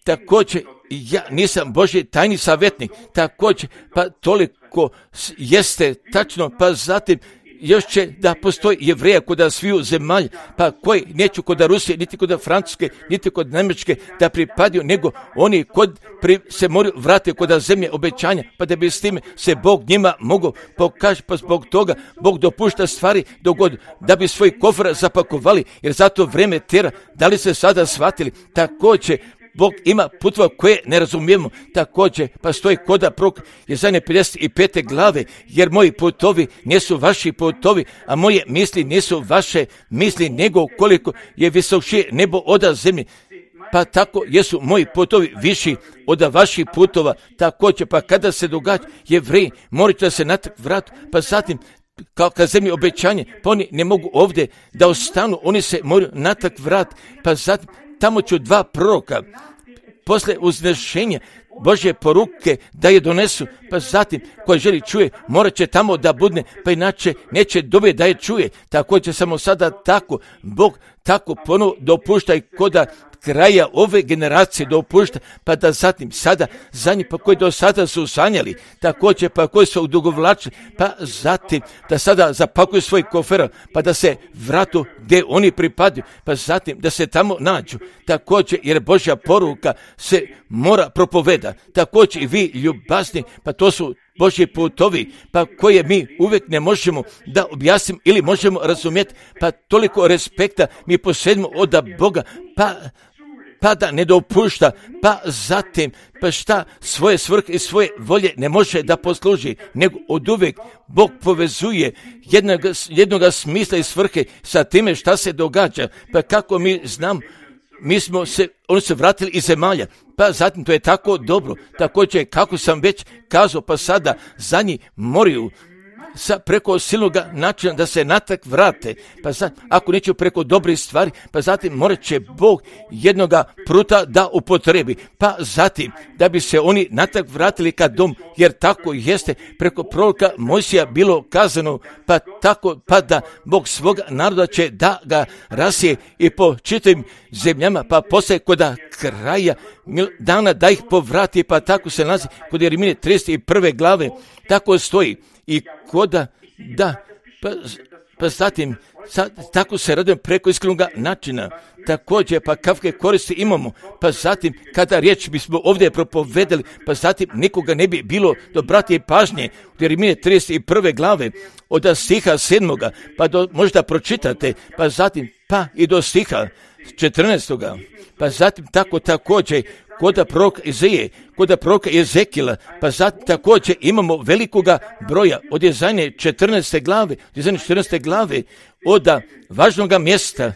Također, ja nisam Božji tajni savjetnik, također, pa toliko jeste tačno, pa zatim još će da postoji Jevreja koda sviju zemalja, pa koji neću koda Rusije, niti koda Francuske, niti kod Njemačke da pripadaju, nego oni kod pri, se moraju vratiti koda zemlje obećanja, pa da bi s time se Bog njima mogao pokaži, pa zbog toga Bog dopušta stvari dogod da bi svoj kofer zapakovali, jer zato vreme tera. Da li se sada shvatili? Također, Bog ima putova koje ne razumijemo, također pa stoji koda prok Jezajne pedeset pete glave, jer moji putovi nisu vaši putovi, a moje misli nisu vaše misli, nego koliko je visokše nebo od zemlje, pa tako jesu moji putovi viši od vaših putova, također pa kada se događa Jevreji morat će se natrag vratiti, pa zatim kao kad zemlji obećanje, pa oni ne mogu ovdje da ostanu, oni se moraju natrag vratiti, pa zatim tamo ću dva proroka posle uznešenja Božje poruke da je donesu, pa zatim koji želi čuje, morat će tamo da budne, pa inače neće dobiti da je čuje. Također samo sada tako, Bog tako ponovo dopušta i koda kraja ove generacije dopušta, pa da zatim sada za njih, pa koji do sada su sanjali, također pa koji su odugovlačili, pa zatim da sada zapakuju svoj kofer, pa da se vratu gdje oni pripadaju, pa zatim da se tamo nađu, također jer Božja poruka se mora propoveda, također i vi ljubazni, pa to su Božji putovi, pa koje mi uvijek ne možemo da objasnimo ili možemo razumjeti, pa toliko respekta mi posjedimo od Boga, pa pa da ne dopušta, pa zatim, pa šta svoje svrhe i svoje volje ne može da posluži, nego od uvijek Bog povezuje jednog, jednoga smisla i svrhe sa time šta se događa, pa kako mi znam, mi smo se, oni se vratili iz zemalja, pa zatim to je tako dobro, također kako sam već kazao, pa sada za njih moraju sa preko silnog načina da se natrag vrate, pa sad, ako neću preko dobrih stvari, pa zatim morat će Bog jednoga pruta da upotrebi, pa zatim da bi se oni natrag vratili ka dom, jer tako jeste preko proroka Mojsija bilo kazano, pa tako, pa da Bog svoga naroda će da ga rasije i po čitavim zemljama, pa poslije koda kraja dana da ih povrati, pa tako se nalazi kod Jeremije trideset prve glave, tako stoji. I koda, da, pa, pa zatim, sad, tako se radujem preko iskrenog načina, također, pa kakve koristi imamo, pa zatim, kada riječ bismo ovdje propovedali, pa zatim nikoga ne bi bilo do brati pažnje, u Jeremije trideset prve glave, od stiha sedmoga, pa do, možda pročitate, pa zatim, pa i do stiha četrnaestoga, pa zatim tako također, koda proroka Izaije, koda proroka Ezekila, pa zatim također imamo velikoga broja od Jezajne četrnaeste glave, od Jezajne četrnaeste glave, od važnoga mjesta,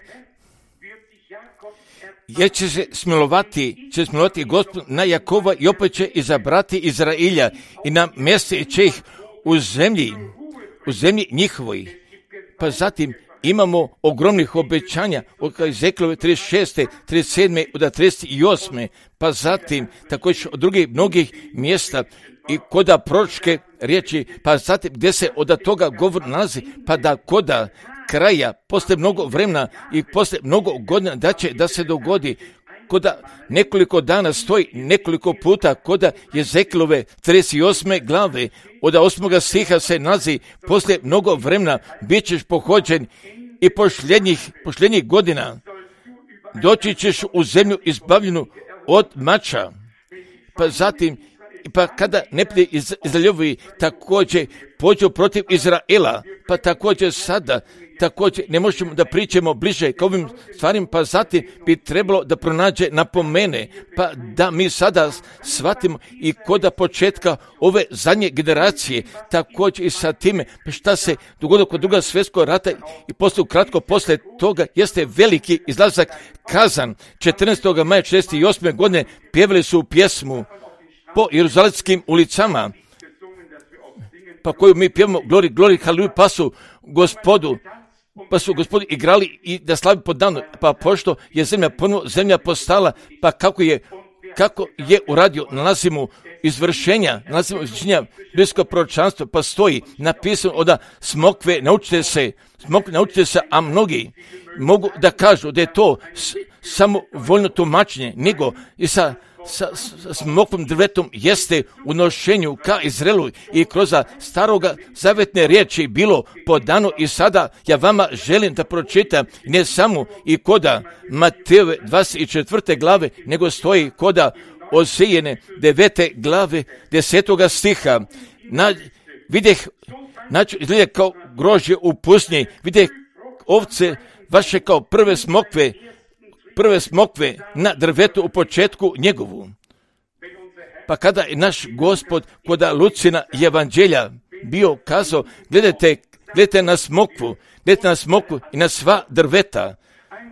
jer će se smilovati, će smilovati Gospod na Jakova i opet će izabrati Izrailja i na mjeste će ih u zemlji, u zemlji njihovoj, pa zatim imamo ogromnih obećanja od Ezekilove trideset šeste, trideset sedme, od trideset osme, pa zatim također od drugih mnogih mjesta i koda proročke riječi, pa zatim gdje se od toga govor nalazi, pa da koda kraja, posle mnogo vremena i posle mnogo godina da će da se dogodi koda nekoliko dana stoji, nekoliko puta koda Jezekilove trideset osme glave, od osmoga stiha se nalazi, poslije mnogo vremena bit ćeš pohođen i posljednjih, posljednjih godina doći ćeš u zemlju izbavljenu od mača. Pa zatim, pa kada neprijatelj iz Izraeljevi također pođu protiv Izraela, pa također sada, također ne možemo da pričamo bliže k ovim stvarima, pa zatim bi trebalo da pronađe napomene, pa da mi sada shvatimo i koda početka ove zadnje generacije, također i sa time šta se dogodilo kod drugog svjetskog rata i poslije kratko poslije toga jeste veliki izlazak Kazan. četrnaestog maja četrdeset osme godine pjevali su pjesmu po jeruzalemskim ulicama, pa koju mi pjevamo glori, glori, haleluja, pa su gospodu, pa su gospodi igrali i da slavi po danu, pa pošto je zemlja ponovo zemlja postala, pa kako je, kako je uradio, nalazimo izvršenja, nalazimo izvršenja biblijskog proročanstva, pa stoji napisano od smokve, naučite se, smokve, naučite se, a mnogi mogu da kažu da je to s, samo voljno tumačenje, nego i sa sa, sa smokvom drvetom jeste u nošenju ka Izraelu i kroz staroga zavetne riječi bilo podano i sada ja vama želim da pročitam ne samo i koda Matejove dvadeset četvrte glave, nego stoji koda Ozejine devete glave desetoga stiha. Na, videh, znači izgleda kao grožđe u pustinji, videh ovce vaše kao prve smokve, prve smokve na drvetu u početku njegovu. Pa kada je naš Gospod koda Lucina evanđelja bio kazao, gledajte, gledajte na smokvu, gledajte na smokvu i na sva drveta,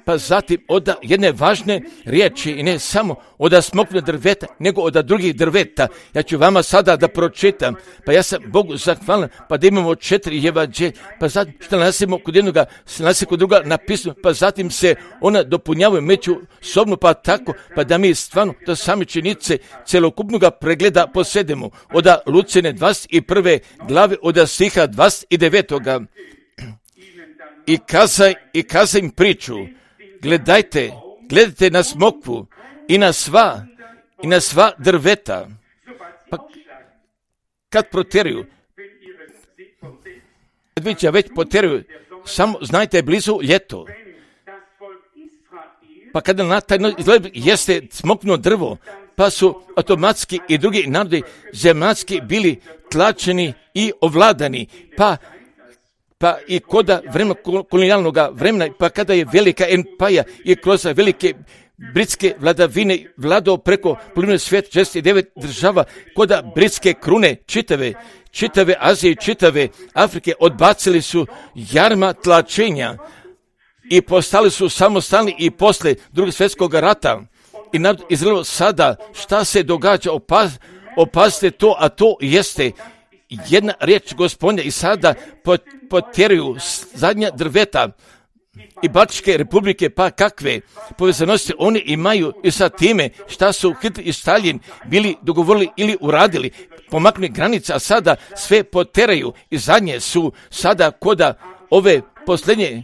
pa zatim od jedne važne riječi i ne samo od smokvne drveta, nego od drugih drveta. Ja ću vama sada da pročitam, pa ja sam Bogu zahvalan, pa da imamo četiri evanđelja, pa zatim što nalazimo kod jednoga, nalazimo kod druga napisano, pa zatim se ona dopunjavaju međusobno, pa tako, pa da mi stvarno do same činjenice celokupnoga pregleda posedemo od Lucine dvadeset prve glave od stiha dvadeset devetoga. I kazaj, i kazaj im priču, gledajte, gledajte na smokvu i na sva, i na sva drveta. Pa kad proteruju, kad već, već poteruju, samo znajte je blizu ljeto. Pa kada na taj izgled jeste smokvno drvo, pa su automatski i drugi narodi zemaljski bili tlačeni i ovladani, pa pa i koda vremena kolonijalnog vremena, pa kada je velika empaja i kroz velike britske vladavine vladao preko polovine svijeta, šezdeset devet država, koda britske krune čitave, čitave Azije i čitave Afrike odbacili su jarma tlačenja i postali su samostalni i posle drugog svjetskog rata. I narod Izrael sada šta se događa, opaz, opazite to, a to jeste jedna riječ Gospodnja i sada potjeruju zadnja drveta i Baltičke republike, pa kakve povezanosti oni imaju i sa time šta su Hitler i Stalin bili dogovorili ili uradili, pomaknuli granice, a sada sve poteraju i zadnje su sada koda ove posljednje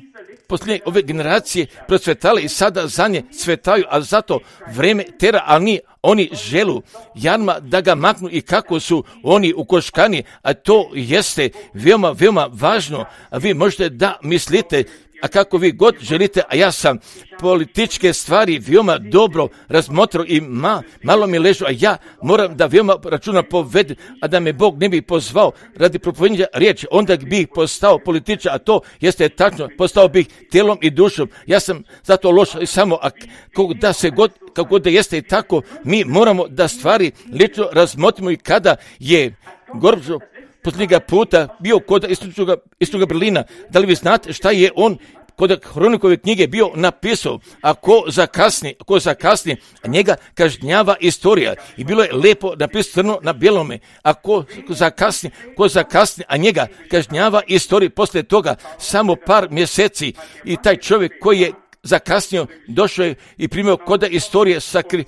posljednje ove generacije procvetale i sada zadnje cvetaju, a zato vreme tera, ali ni oni želu jarma da ga maknu i kako su oni ukoškani, a to jeste veoma, veoma važno, a vi možete da mislite, a kako vi god želite, a ja sam političke stvari veoma dobro razmotrao i ma, malo mi ležu, a ja moram da veoma računa povedem, a da me Bog ne bi pozvao radi propovedanja riječi, onda bih postao političar, a to jeste tačno, postao bih tijelom i dušom. Ja sam zato loš i samo, a kako da se god, kako god da jeste i tako, mi moramo da stvari lično razmotrimo i kada je Gorbačov posljednjega puta bio kod istočnoga, istočnoga Berlina. Da li vi znate šta je on kod Hronikove knjige bio napisao? A ko zakasni, ko zakasni, a njega kažnjava istorija. I bilo je lepo napisano crno na bijelome. A ko zakasni, ko zakasni, a njega kažnjava istorija. Poslije toga samo par mjeseci i taj čovjek koji je zakasnio došao je i primio koda istorije sakri,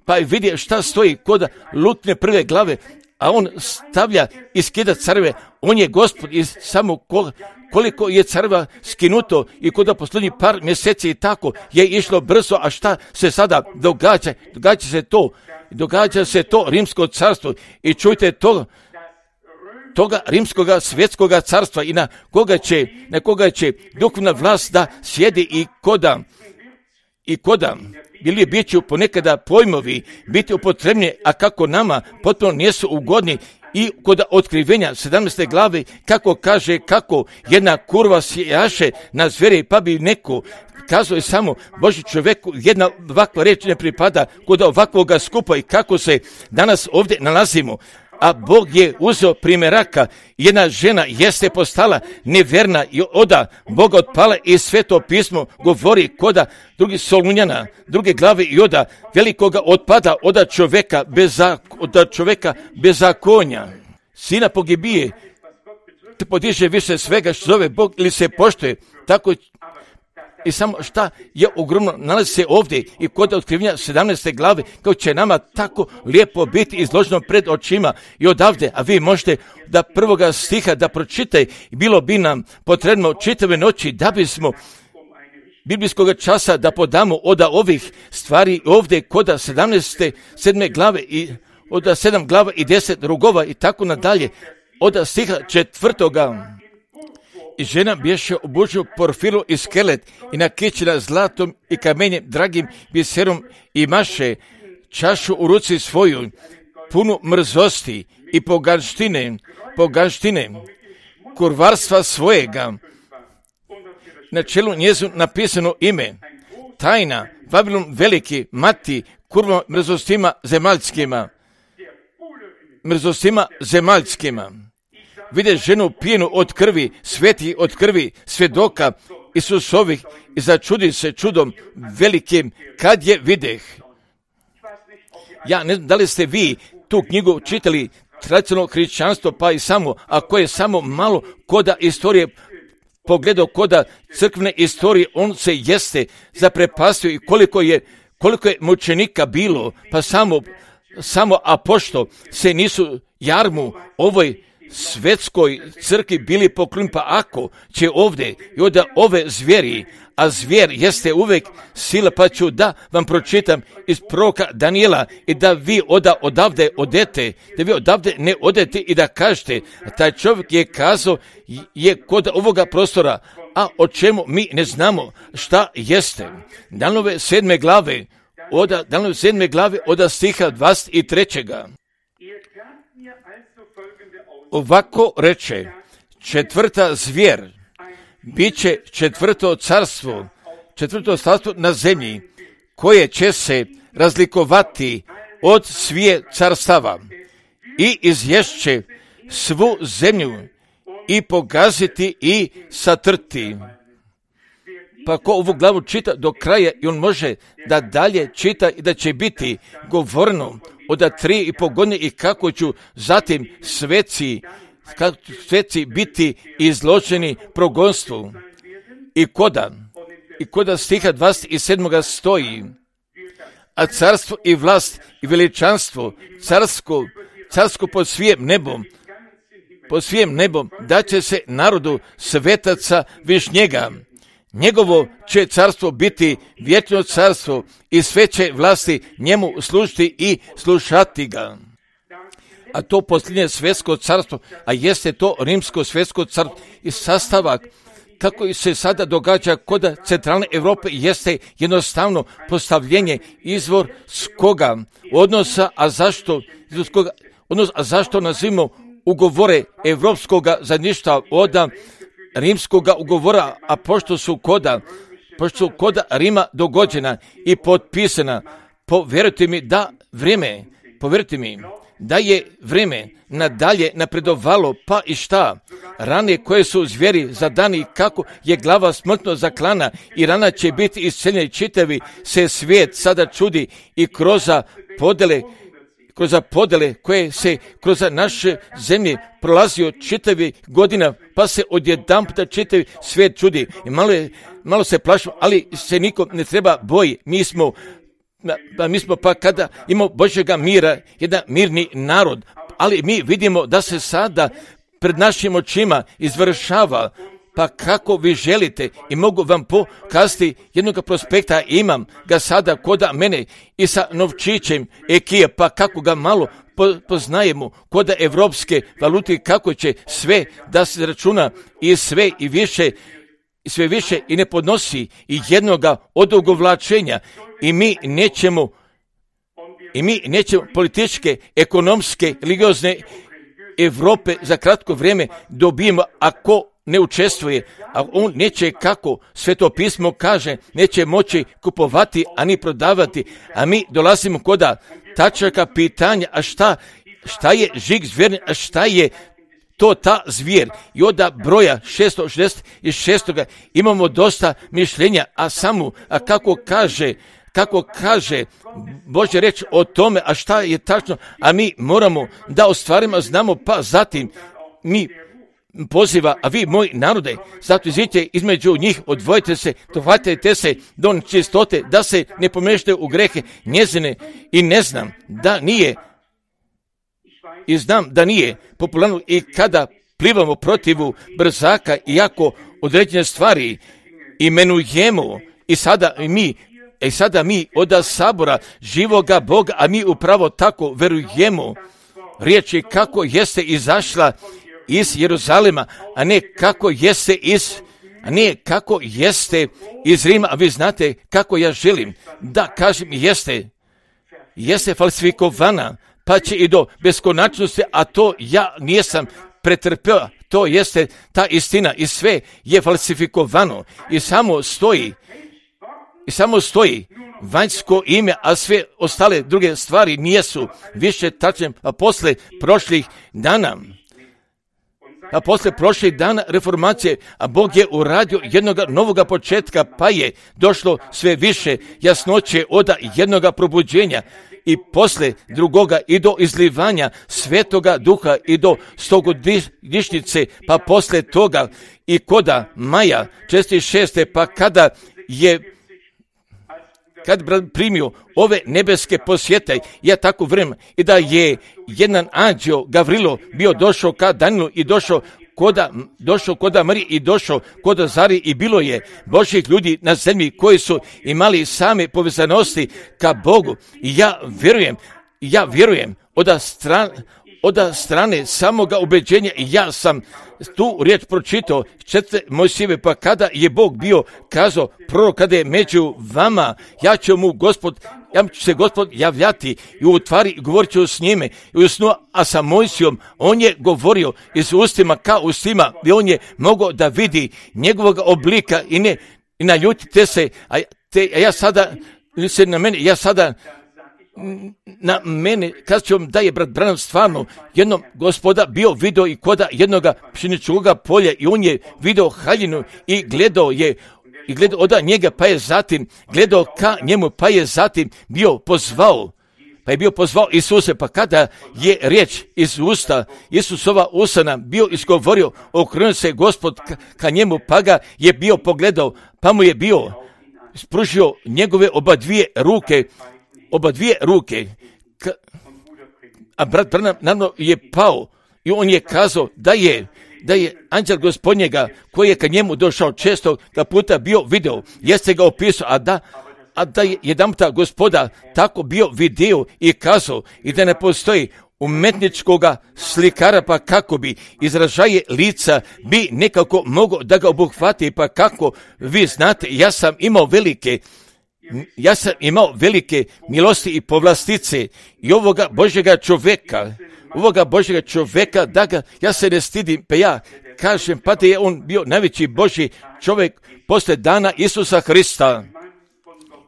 pa je vidio šta stoji koda Lutne prve glave, a on stavlja i skida carve, on je gospod i samo kol, koliko je carva skinuto i kod posljednjih par mjeseci i tako je išlo brzo, a šta se sada događa? Događa se to, događa se to rimsko carstvo i čujte to, toga rimskoga svjetskoga carstva i na koga će, na koga će duhovna vlast da sjedi i koda, i koda, ili bit će ponekada pojmovi biti upotrebni, a kako nama potpuno nisu ugodni i kod otkrivenja sedamnaeste glave, kako kaže, kako jedna kurva sjaše na zveri, pa bi neko kazao je samo Boži čovjeku, jedna ovakva reč ne pripada kod ovakvoga skupa i kako se danas ovdje nalazimo. A Bog je uzeo primjeraka, jedna žena jeste postala neverna i oda Boga otpala i Sveto pismo govori koda drugi Solunjana, druge glave i oda velikoga otpada oda čovjeka bez, oda čovjeka bez zakonja. Sina pogibije, te podiže više svega što zove Bog ili se poštuje, tako i samo šta je ogromno nalazi se ovdje i kod otkrivenja sedamnaeste glave, kao će nama tako lijepo biti izloženo pred očima i odavde, a vi možete da prvoga stiha da pročitaj, bilo bi nam potrebno čitave noći da bismo biblijskog časa da podamo od ovih stvari ovdje kod sedamnaeste sedme glave i od sedam glava i deset rugova i tako nadalje, od stiha četvrtoga. I žena bješe obučena porfiru i skelet i nakićena zlatom i kamenjem dragim biserom i maše čašu u ruci svoju, punu mrzosti i poganštine, poganštine, kurvarstva svojega. Na čelu njezinu napisano ime, tajna, Vavilon veliki, mati, kurva mrzostima zemaljskima, mrzostima zemaljskima. Vide ženu pijenu od krvi, sveti od krvi, svjedoka Isusovih i začudi se čudom velikim kad je videh. Ja ne znam da li ste vi tu knjigu čitali, tradicionalno hrišćanstvo, pa i samo, ako je samo malo koda istorije pogledao, koda crkvene istorije, on se jeste zaprepastio i koliko je, koliko je mučenika bilo, pa samo, samo apoštol se nisu jarmu ovoj svetskoj crkvi bili poklonjeni, pa ako će ovdje i od ove zvijeri, a zvijer jeste uvijek sila, pa ću da vam pročitam iz proroka Danijela i da vi oda odavde odete, da vi odavde ne odete i da kažete, taj čovjek je kazao je kod ovoga prostora, a o čemu mi ne znamo šta jeste. Danove sedme glave, oda, Danove sedme glave oda stiha dvadeset trećega. Ovako reče, četvrta zvijer, bit će četvrto carstvo, četvrto carstvo na zemlji, koje će se razlikovati od svije carstava i izješće svu zemlju i pogaziti i satrti. Pa ko ovu glavu čita do kraja i on može da dalje čita i da će biti govorno od tri i po godine i kako ću zatim sveci, kako sveci biti izloženi progonstvu. I koda, i koda stiha dvadeset sedam stoji, a carstvo i vlast i veličanstvo, carsko, carsko pod svijem nebom, pod svijem nebom, da će se narodu svetaca višnjega. Njegovo će carstvo biti vječno carstvo i sve će vlasti njemu služiti i slušati ga. A to posljednje svjetsko carstvo, a jeste to rimsko svjetsko carstvo i sastavak, kako se sada događa kod centralne Europe, jeste jednostavno postavljenje izvor s koga odnosa, a zašto, koga, odnos, a zašto nazivamo ugovore evropskoga zajedništva od rimskoga ugovora, a pošto su koda, pošto su koda Rima dogođena i potpisana, povjerujte mi da vrijeme, povjerujte mi da je vrijeme nadalje napredovalo, pa i šta, rane koje su zvijeri zadani, kako je glava smrtno zaklana i rana će biti isceljeni, čitavi se svijet sada čudi i kroz podele, kroz podele koje se kroz naše zemlje prolazio čitavi godina, pa se odjedanputa čitavi svijet čudi. I malo, je, malo se plašimo, ali se niko ne treba boji. Mi smo, pa mi smo pa kada imamo Božjega mira, jedan mirni narod, ali mi vidimo da se sada pred našim očima izvršava. Pa kako vi želite i mogu vam pokazati jednog prospekta, imam ga sada koda mene i sa novčićem ekije, pa kako ga malo poznajemo koda evropske valute, kako će sve da se računa i sve i više i sve više i ne podnosi i jednoga odugovlačenja i mi nećemo i mi nećemo političke, ekonomske, religiozne Evrope za kratko vrijeme dobijemo ako ne učestvuje, a on neće, kako Sveto pismo kaže, neće moći kupovati, ani prodavati, a mi dolazimo koda tačaka pitanja, a šta, šta je žig zvjerni, a šta je to ta zvijer. I od broja šesto šezdeset šest imamo dosta mišljenja, a samo, a kako kaže, kako kaže Božja reč o tome, a šta je tačno, a mi moramo da ostvarimo, znamo, pa zatim mi poziva, a vi moj narode, zato izidite između njih, odvojite se, dohvatite se do čistote, da se ne pomešate u grehe njezine i ne znam da nije, i znam da nije popularno i kada plivamo protivu brzaka, iako određene stvari imenujemo i sada mi I sada mi od sabora živoga Boga, a mi upravo tako verujemo riječi kako jeste izašla iz Jeruzalema, a ne kako jeste iz, a ne kako jeste iz Rima, a vi znate kako ja želim da kažem jeste, jeste falsifikovana, pa će i do beskonačnosti, a to ja nisam pretrpeo, to jeste ta istina i sve je falsifikovano i samo stoji I samo stoji vanjsko ime, a sve ostale druge stvari nijesu više tačne, a posle prošlih dana, a posle prošlih dana reformacije, a Bog je uradio jednog novoga početka, pa je došlo sve više jasnoće od jednoga probuđenja i posle drugoga i do izlivanja Svetoga Duha i do stogodišnjice, pa posle toga i koda maja četrdeset šeste, pa kada je kad primio ove nebeske posjete, ja tako vrem, i da je jedan anđeo Gavrilo bio došao ka Danilu i došao koda, došao koda Marije i došao koda Zari i bilo je Božjih ljudi na zemlji koji su imali same povezanosti ka Bogu. I ja vjerujem, ja vjerujem od strane, od strane samoga ubeđenja i ja sam tu riječ pročitao četiri Mojsijeve, pa kada je Bog bio kazao prorok, kada je među vama, ja ću mu Gospod, ja ću se Gospod javljati i u tvari govorit ću s njime i u snu, a sa Mojsijom on je govorio iz ustima ka ustima i on je mogao da vidi njegovog oblika i ne i naljutite se, a, te, a ja sada se na mene, ja sada na mene, kad ću vam da je brat Branham stvarno jednom Gospoda bio video i koda jednoga pšeničkoga polja i on je video haljinu i gledao je i gledao od njega, pa je zatim gledao ka njemu, pa je zatim bio pozvao, pa je bio pozvao Isuse, pa kada je riječ iz usta Isusova usana bio izgovorio, okrenuo se Gospod ka, ka njemu, pa ga je bio pogledao, pa mu je bio spružio njegove oba dvije ruke, oba dvije ruke, Ka, a brat Branham naravno je pao i on je kazao da je, da je anđel Gospodnjega koji je ka njemu došao često ga puta bio video, jeste ga opisao, a da, a da je jedanputa Gospoda tako bio video i kazao i da ne postoji umetničkoga slikara, pa kako bi izražaje lica bi nekako mogao da ga obuhvati, pa kako vi znate, ja sam imao velike Ja sam imao velike milosti i povlastice i ovoga Božjega čovjeka, ovoga Božjega čovjeka, da ga, ja se ne stidim, pa ja kažem, pa da je on bio najveći Božji čovjek posle dana Isusa Hrista.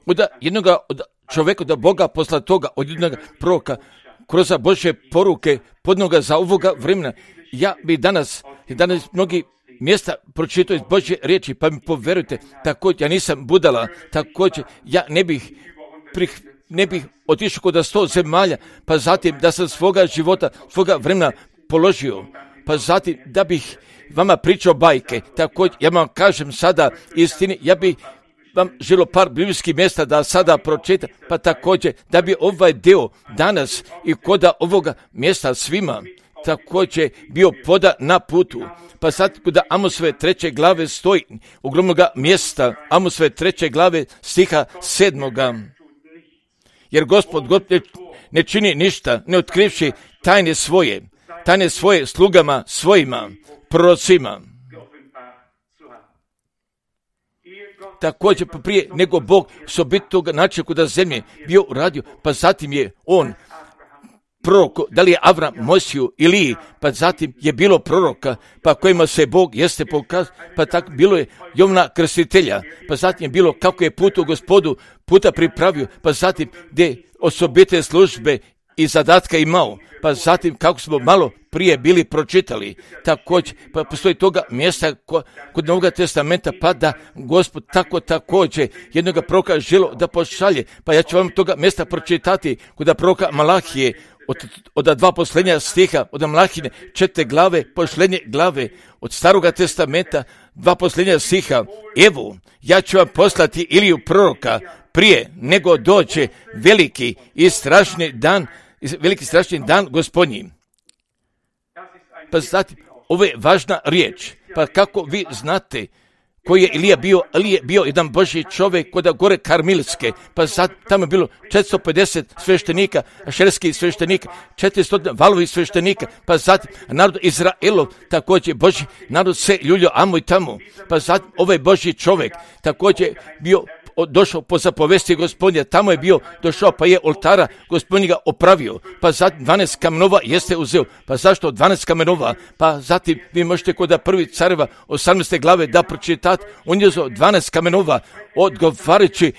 Od jednoga od čovjeka, od Boga posla toga, od jednog proroka, kroz Božje poruke, podnoga za ovoga vremena. Ja bi danas, danas mnogi mjesta pročitao iz Božje riječi, pa mi poverujte, također, ja nisam budala, također, ja ne bih, prih, ne bih otišao kod sto zemalja, pa zatim da sam svoga života, svoga vremena položio, pa zatim da bih vama pričao bajke, također, ja vam kažem sada istini, ja bih vam želo par biblijskih mjesta da sada pročitam, pa također da bi ovaj deo danas i koda ovoga mjesta svima također bio poda na putu. Pa sad kuda Amosove treće glave stoji, ogromnoga mjesta, Amosove treće glave stiha sedmoga. Jer Gospod God ne, ne čini ništa, ne otkrivši tajne svoje, tajne svoje slugama svojima, prorocima. Također pa prije nego Bog s obitog načina kuda zemlje bio uradio, pa zatim je on prorok, da li je Avram, Mojsiju, Iliji, pa zatim je bilo proroka, pa kojima se Bog jeste pokazao, pa tako bilo je Jovana Krstitelja, pa zatim je bilo kako je put u Gospodu puta pripravio, pa zatim gdje osobite službe i zadatka imao, pa zatim kako smo malo prije bili pročitali, također, pa postoji toga mjesta ko, kod Novog testamenta, pa da Gospod tako također jednoga proroka želo da pošalje, pa ja ću vam toga mjesta pročitati kod proroka Malahije, od, od dva posljednja stiha, od Malahine četiri glave, posljednje glave, od Staroga testamenta, dva posljednja stiha. Evo, ja ću vam poslati Iliju proroka prije nego dođe veliki i strašni dan, veliki strašni dan Gospodnji. Pa zatim, ovo je važna riječ, pa kako vi znate koji je Ilija bio, ali je bio jedan Božji čovjek kod gore Karmilske, pa sad tamo je bilo četiristo pedeset sveštenika, ašerskih sveštenika, četiristo valovi sveštenika, pa zatim narod Izraelov, također Božji narod se ljuljo amo i tamo, pa zatim ovaj Božji čovjek također bio došao po zapovesti Gospodnja, tamo je bio došao, pa je oltara Gospodnjega opravio, pa zatim dvanaest kamenova jeste uzeo. Pa zašto dvanaest kamenova? Pa zatim vi možete kod prvi careva osamnaeste glave da pročitate, on je uzeo dvanaest kamenova odgovarajući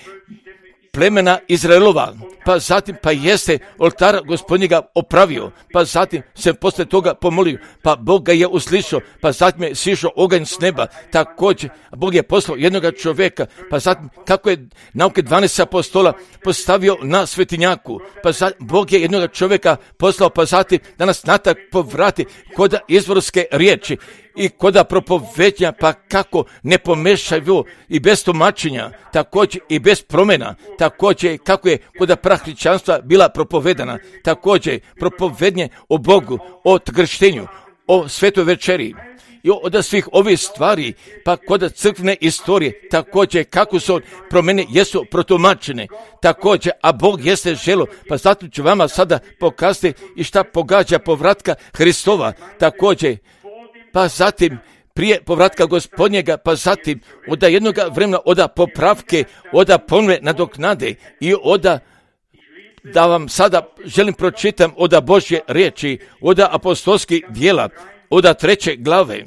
plemena Izraelova, pa zatim pa jeste oltara Gospodnjega opravio, pa zatim se posle toga pomolio, pa Bog ga je uslišao, pa zatim je sišao oganj s neba, također Bog je poslao jednoga čovjeka, pa zatim kako je nauke dvanaest apostola postavio na svetinjaku, pa zatim Bog je jednoga čovjeka poslao, pa zatim da nas natak povrati kod izvorske riječi i koda propovednja, pa kako ne pomešaju i bez tumačenja, također i bez promjena, također kako je koda prahričanstva bila propovedana, također propovednje o Bogu, o krštenju, o svetoj večeri i od svih ovih stvari, pa kod crkvene istorije, također kako su promjene jesu protumačene, također, a Bog jeste želo, pa zato ću vama sada pokazati i šta pogađa povratka Hristova, također, pa zatim prije povratka Gospodnjega, pa zatim oda jednoga vremena, oda popravke, oda ponove nadoknade i oda, da vam sada želim pročitam oda Božje riječi, oda apostolskih djela, oda treće glave,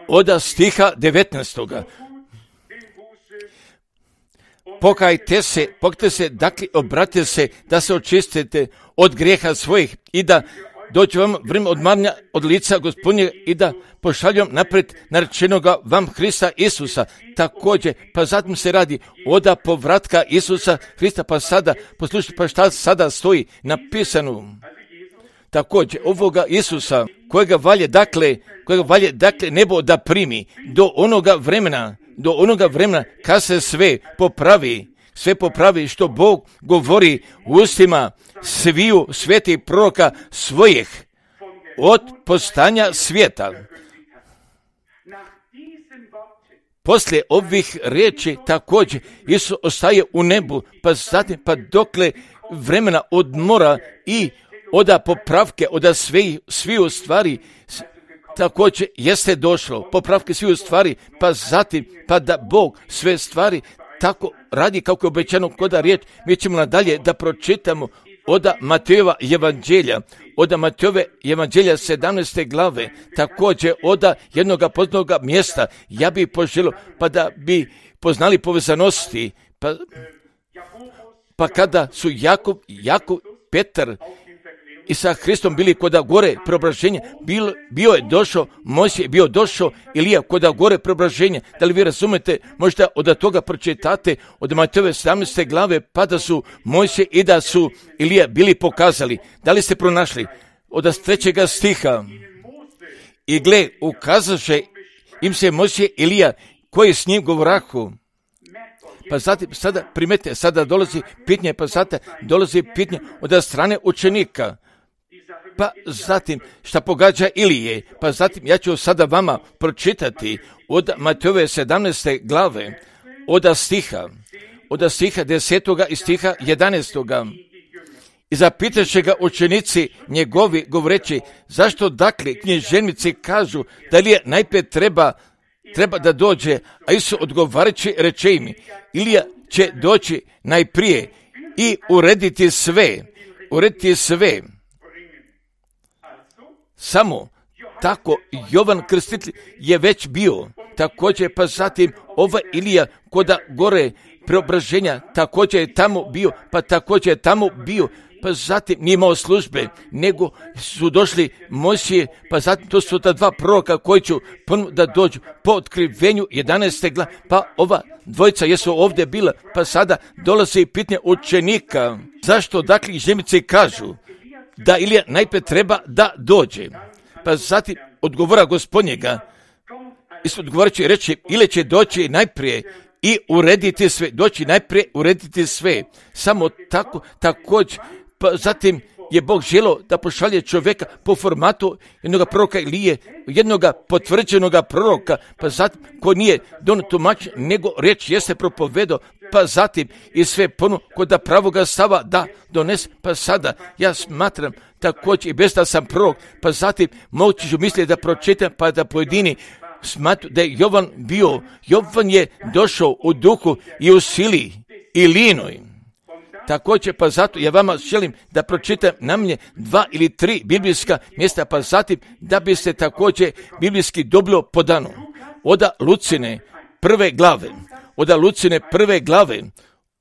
oda stiha devetnaestoga. Pokajte se, pokajte se, dakle obratite se da se očistite od grijeha svojih i da doći vam vrijeme odmaranja od lica Gospodnjega i da pošaljom naprijed narečenoga vam Hrista Isusa. Također, pa zatim se radi oda povratka Isusa Hrista, pa sada, poslušajte, pa šta sada stoji napisano. Također, ovoga Isusa, kojega valje, dakle, kojega valje, dakle, nebo da primi do onoga vremena, do onoga vremena kad se sve popravi, sve popravi što Bog govori u ustima sviju svetih proroka svojih od postanja svijeta. Poslije ovih riječi također Isus ostaje u nebu, pa zatim pa dokle vremena odmora i oda popravke, oda svi, sviju stvari također jeste došlo, popravke sviju stvari, pa zatim pa da Bog sve stvari tako radi kako je obećano koda riječ. Mi ćemo nadalje da pročitamo oda Matejova evanđelja, oda Matejove evanđelja sedamnaeste glave, također oda jednoga poznatoga mjesta. Ja bih poželio pa da bi poznali povezanosti, pa, pa kada su Jakov, Jakov, Petar i sa Hristom bili koda gore preobraženja, bio, bio je došao, Mojsije bio došao, Ilija koda gore preobraženja. Da li vi razumete, možda od toga pročitate od Matejove sedamnaeste glave, pa da su Mojsije i da su Ilija bili pokazali. Da li ste pronašli? Od trećega stiha. I gle, ukazaše im se Mojsije Ilija koji s njim govorahu. Pa zatim, sada primete, sada dolazi pitanje, pa sada dolazi pitanje od strane učenika. Pa zatim, šta pogađa Ilije, pa zatim ja ću sada vama pročitati od Matejove sedamnaeste glave, od stiha, od stiha desetoga i stiha jedanaestoga. I zapitaše ga učenici njegovi govoreći, zašto dakle književnici kažu da Ilija najprije treba, treba da dođe, a Isus odgovarajući reče im, Ilija će doći najprije i urediti sve, urediti sve. Samo tako Jovan Krstitelj je već bio, također pa zatim ova Ilija koda gore preobraženja također je tamo bio, pa također je tamo bio, pa zatim nije imao službe, nego su došli Mojsije, pa zatim to su ta dva proroka koji će ponovno da dođu po otkrivenju jedanaeste glave, pa ova dvojica jesu ovdje bila, pa sada dolazi pitanje učenika. Zašto dakle književnici kažu da Ilija najprije treba da dođe? Pa zatim odgovora Gospodnjega, Isus odgovarajući reče, Ilija će doći najprije i urediti sve, doći najprije urediti sve. Samo tako, također, pa zatim je Bog želio da pošalje čovjeka po formatu jednog proroka Ilije, jednog potvrđenog proroka, pa zatim ko nije dono tumač, nego riječ jeste propovedao, pa zatim i sve ponu kod pravoga stava da donese, pa sada ja smatram također i bez da sam prorok, pa zatim moći ću misliti da pročitam, pa da pojedini smatru da je Jovan bio, Jovan je došao u duhu i u sili i linoj. Također, pa zato ja vama želim da pročitam na mnje dva ili tri biblijska mjesta, pa zatim da bi se također biblijski dobilo podano. Oda Lucine prve glave, oda Lucine prve glave,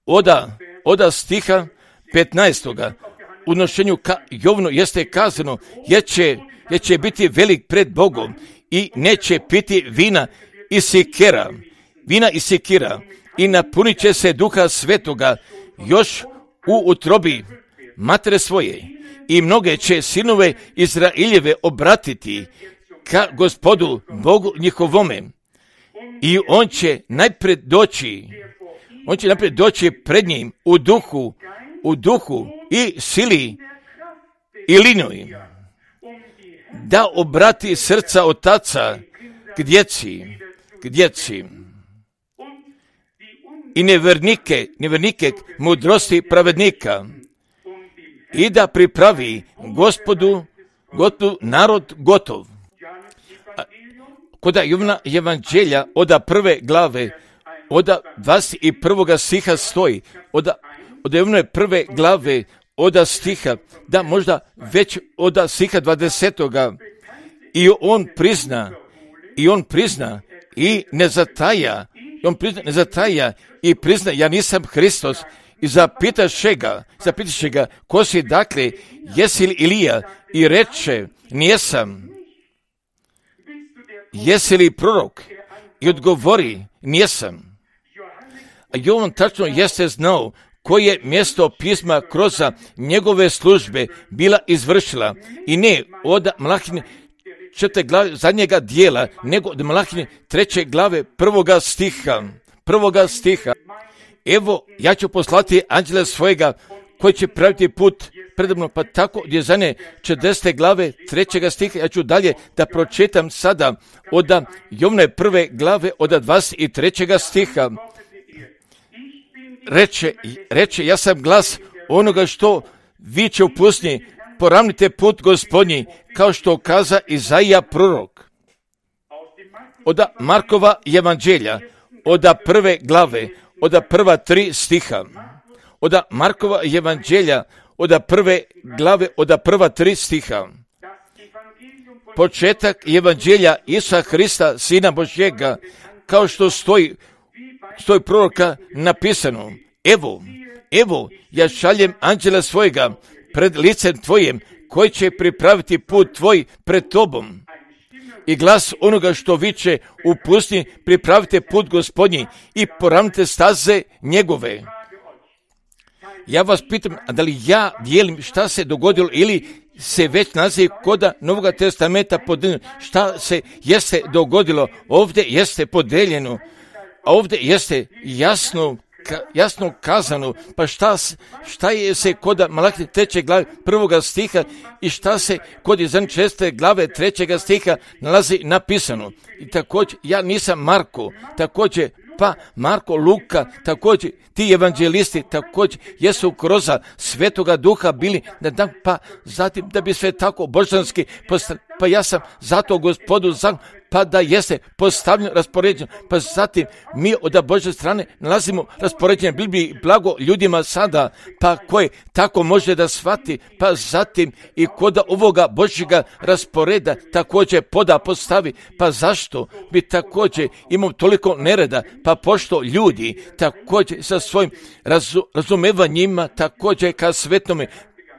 oda, oda stiha petnaestoga. U nošenju ka Jovnu jeste kazano, jer će, jer će biti velik pred Bogom i neće piti vina i sikera, vina i sikira i napunit će se duha svetoga još u utrobi matere svoje i mnoge će sinove Izraeljeve obratiti ka Gospodu Bogu njihovome i on će najprej doći, on će najprej doći pred njim u duhu, u duhu i sili i linoj, da obrati srca otaca k djeci, k djeci i nevernike, nevernike mudrosti pravednika i da pripravi Gospodu, Gospodu narod gotov. Koda Jovana evanđelja oda prve glave, oda dvadeset prvoga stiha stoji, oda, oda Jovane prve glave, oda stiha, da možda već oda stiha dvadesetoga i on prizna, i on prizna i ne zataja, i on prizna, ne zataja i prizna, ja nisam Hristos, i zapitaše ga, zapitaše ga, ko si dakle, jesi li Ilija, i reče, nijesam. Jesi li prorok? I odgovori, nijesam. A Jovan tačno jeste znao koje mjesto pisma kroz njegove službe bila izvršila, i ne od Malahine četvrte glave zadnjega dijela, nego od Malahine treće glave prvoga stiha, prvoga stiha. Evo, ja ću poslati anđela svojega koji će praviti put predobno, pa tako gdje zadnje četrdesete glave trećega stiha, ja ću dalje da pročitam sada od Jovane prve glave od dvadeset trećega stiha. Reče, reče, ja sam glas onoga što viče u pustinji, poravnite put Gospodnji, kao što kaza Izaija prorok. Od Markova evanđelja, od prve glave, od prva tri stiha. Od Markova evanđelja, od prve glave, od prva tri stiha. Početak evanđelja Isusa Hrista, Sina Božjega, kao što stoji, stoji proroka napisano, evo, evo, ja šaljem anđela svojega pred licem tvojim, koji će pripraviti put tvoj pred tobom. I glas onoga što viče u pustinji, pripravite put Gospodnji i poravnite staze njegove. Ja vas pitam, da li ja dijelim šta se dogodilo ili se već naziv koda Novoga testamenta podeljeno, šta se jeste dogodilo, ovdje jeste podeljeno, a ovdje jeste jasno ka, jasno kazano, pa šta, šta je se kod Malahije treće glave prvoga stiha i šta se kod Izajije šeste glave trećega stiha nalazi napisano. I također, ja nisam Marko, također, pa Marko, Luka, također ti evanđelisti također jesu kroz Svetoga Duha bili na dan, pa zatim da bi sve tako božanski postavljeno, pa ja sam zato Gospodu za, pa da jeste postavljeno, raspoređeno, pa zatim mi od Božje strane nalazimo raspoređenje Bibliji blago ljudima sada, pa koje tako može da shvati, pa zatim i kod ovoga Božjega rasporeda također poda postavi, pa zašto bi također imao toliko nereda, pa pošto ljudi također sa svojim razu, razumevanjima također ka Svetome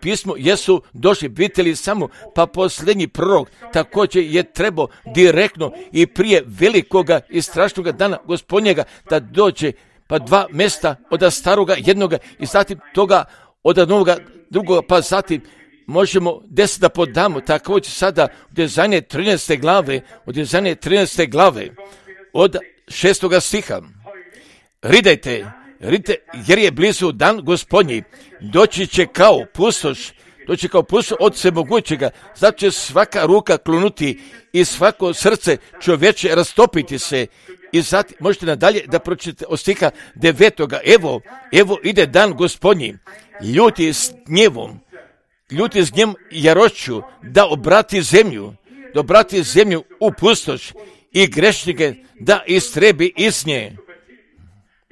pismu jesu došli, vidjeli samo, pa posljednji prorok također je trebao direktno i prije velikoga i strašnoga dana Gospodnjega da dođe, pa dva mjesta od staroga jednoga i zatim toga od novoga drugoga, pa zatim možemo deset da podamo, također sada od Izajije trinaeste glave, od Izajije trinaeste glave, od šestoga stiha. Ridajte, ridajte, jer je blizu dan Gospodnji, doći će kao pustoš, doći kao pustoš od Svemogućega, zato će svaka ruka klonuti i svako srce čovječe rastopiti se. I zatim možete nadalje da pročitate od stiha devetoga. Evo, evo ide dan Gospodnji, ljuti s gnjevom, ljuti s gnjevom i jarošću, da obrati zemlju, da obrati zemlju u pustoš i grešnike da istrebi iz nje.